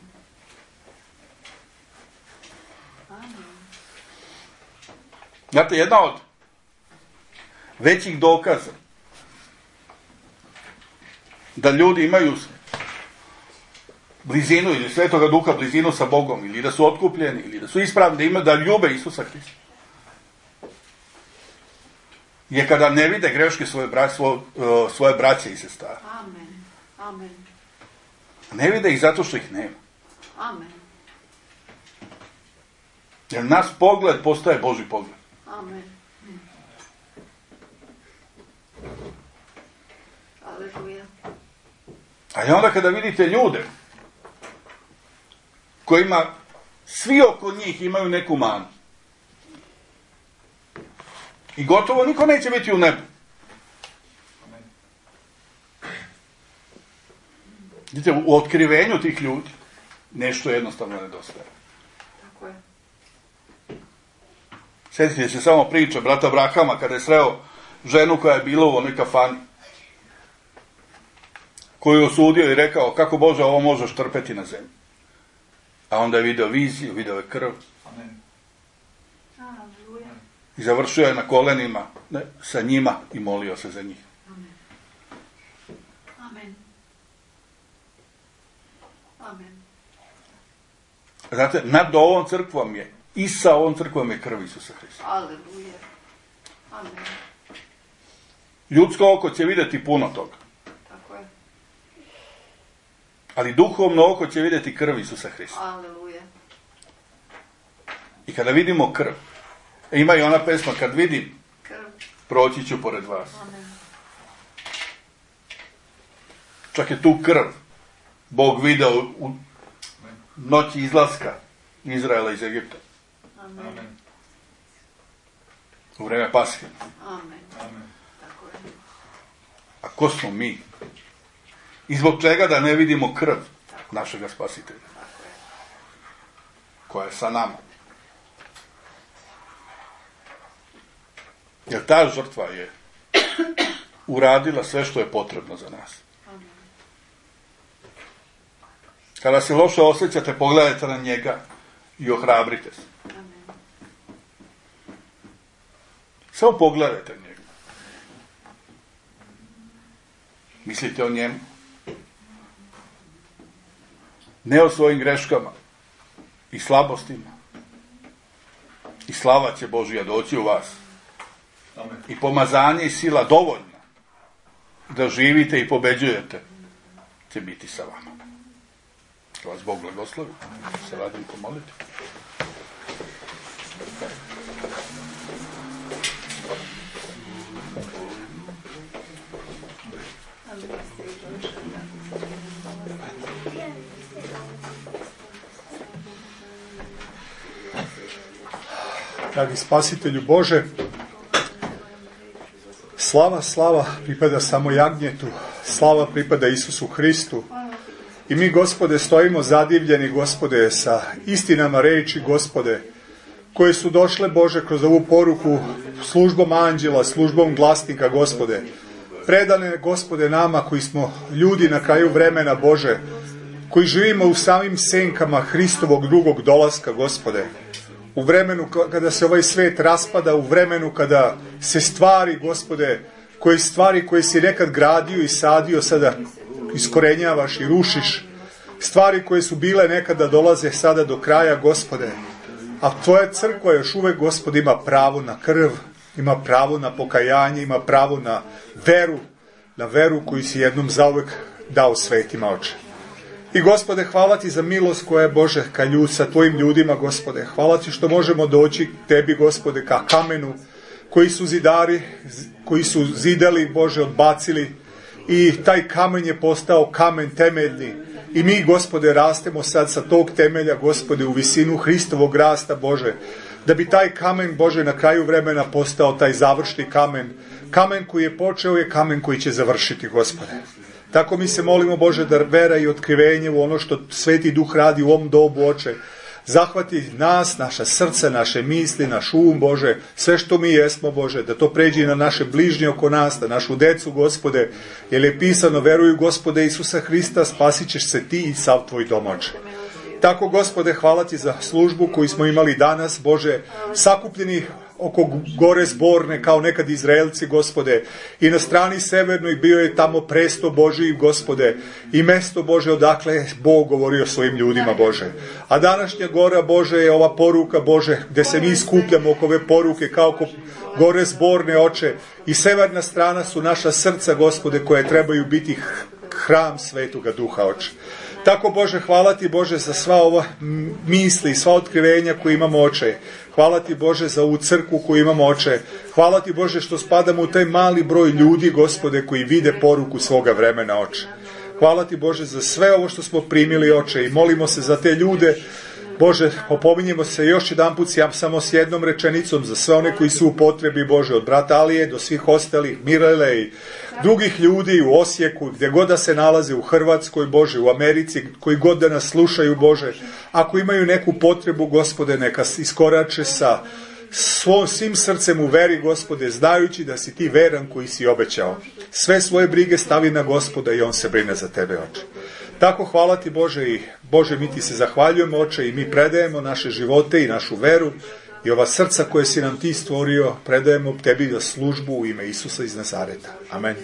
Znate, jedna od većih dokaza da ljudi imaju blizinu ili Svetoga Duha, blizinu sa Bogom, ili da su otkupljeni, ili da su ispravni, da ljube Isusa Hrista, je kada ne vide greške svoje braće i sestara. Amen. Amen. Ne vide ih zato što ih nema. Amen. Jer naš pogled postaje Božji pogled. Amen. Aleluja. A i onda kada vidite ljude kojima svi oko njih imaju neku manu i gotovo niko neće biti u nebu. Vidite, u otkrivenju tih ljudi nešto jednostavno nedostaje. Tako je. Sjetite se samo priče brata Abrahama kada je sreo ženu koja je bila u onoj kafani, koju je osudio i rekao: kako Bože ovo možeš trpeti na zemlji? A onda je video viziju, video je krv. Amen. Aleluja. I završio je na kolenima sa njima i molio se za njih. Amen. Amen. Amen. Znate, nad ovom crkvom je i sa ovom crkvom je krv Isusa Hrista. Aleluja. Amen. Ljudsko oko će vidjeti puno toga. Tako je. Ali duhovno oko će vidjeti krv Isusa Hrista. Aleluja. I kada vidimo krv, ima i ona pesma, kad vidim, Krv. proći ću pored vas. Amen. Čak je tu krv Bog video u noći izlaska Izraela iz Egipta. Amen. Amen. U vreme Pashe. Amen. Amen. Tako je. A ko smo mi? I zbog čega da ne vidimo krv našega Spasitelja? Tako je. Koja je sa nama. Jer ta žrtva je uradila sve što je potrebno za nas. Amen. Kada se loše osjećate, pogledajte na njega i ohrabrite se. Amen. Samo pogledajte na njega. Mislite o njemu. Ne o svojim greškama i slabostima. I slava će Božja doći u vas. Amen. I pomazanje i sila dovoljna da živite i pobeđujete će biti sa vama. Da vas Bog blagoslovi. Se radim pomoliti. Dragi Spasitelju Bože, slava pripada samo jagnjetu, slava pripada Isusu Hristu. I mi, Gospode, stojimo zadivljeni, Gospode, sa istinama reči, Gospode, koje su došle, Bože, kroz ovu poruku službom anđela, službom glasnika, Gospode. Predane, Gospode, nama koji smo ljudi na kraju vremena, Bože, koji živimo u samim senkama Hristovog drugog dolaska, Gospode. U vremenu kada se ovaj svet raspada, u vremenu kada se stvari, Gospode, koje si nekad gradio i sadio, sada iskorenjavaš i rušiš. Stvari koje su bile nekada dolaze sada do kraja, Gospode. A Tvoja crkva još uvek, Gospode, ima pravo na krv, ima pravo na pokajanje, ima pravo na veru koju si jednom zauvek dao svetima, Oče. I, Gospode, hvala Ti za milost koja je, Bože, sa Tvojim ljudima, Gospode. Hvala Ti što možemo doći Tebi, Gospode, ka kamenu koji su zidari, koji su zidali, Bože, odbacili. I taj kamen je postao kamen temeljni. I mi, Gospode, rastemo sad sa tog temelja, Gospode, u visinu Hristovog rasta, Bože. Da bi taj kamen, Bože, na kraju vremena postao taj završni kamen. Kamen koji je počeo je kamen koji će završiti, Gospode. Tako mi se molimo, Bože, da vera i otkrivenje u ono što Sveti Duh radi u ovom dobu, Oče, zahvati nas, naša srca, naše misli, naš Bože, sve što mi jesmo, Bože, da to pređe na naše bližnje oko nas, na našu decu, Gospode, jer je pisano, veruju Gospode Isusa Hrista, spasit ćeš se ti i sav tvoj dom, Oče. Tako, Gospode, hvala Ti za službu koju smo imali danas, Bože, sakupljeni oko gore Zborne, kao nekad Izraelci, Gospode, i na strani severnoj bio je tamo presto Božiji, Gospode, i mesto, Bože, odakle je Bog govorio svojim ljudima, Bože. A današnja gora, Bože, je ova poruka, Bože, gde se mi skupljamo oko ove poruke, kao oko gore Zborne, Oče, i severna strana su naša srca, Gospode, koje trebaju biti hram Svetoga Duha, Oče. Tako, Bože, hvala Ti, Bože, za sva ova misli i sva otkrivenja koje imamo, Oče. Hvala Ti, Bože, za ovu crkvu koju imamo, Oče. Hvala Ti, Bože, što spadamo u taj mali broj ljudi, Gospode, koji vide poruku svoga vremena, Oče. Hvala Ti, Bože, za sve ovo što smo primili, Oče, i molimo se za te ljude. Bože, opominjemo se još jedan put samo s jednom rečenicom za sve one koji su u potrebi, Bože, od brata Alije do svih ostalih, Mirele i drugih ljudi u Osijeku, gdje god da se nalaze, u Hrvatskoj, Bože, u Americi, koji god da nas slušaju, Bože. Ako imaju neku potrebu, Gospode, neka iskorače sa svim srcem u veri, Gospode, znajući da si Ti veran koji si obećao. Sve svoje brige stavi na Gospoda i On se brine za tebe, Oče. Tako, hvala Ti, Bože, i Bože, mi Ti se zahvaljujemo, Oče, i mi predajemo naše živote i našu veru i ova srca koje si nam Ti stvorio, predajemo Tebi za službu u ime Isusa iz Nazareta. Amen.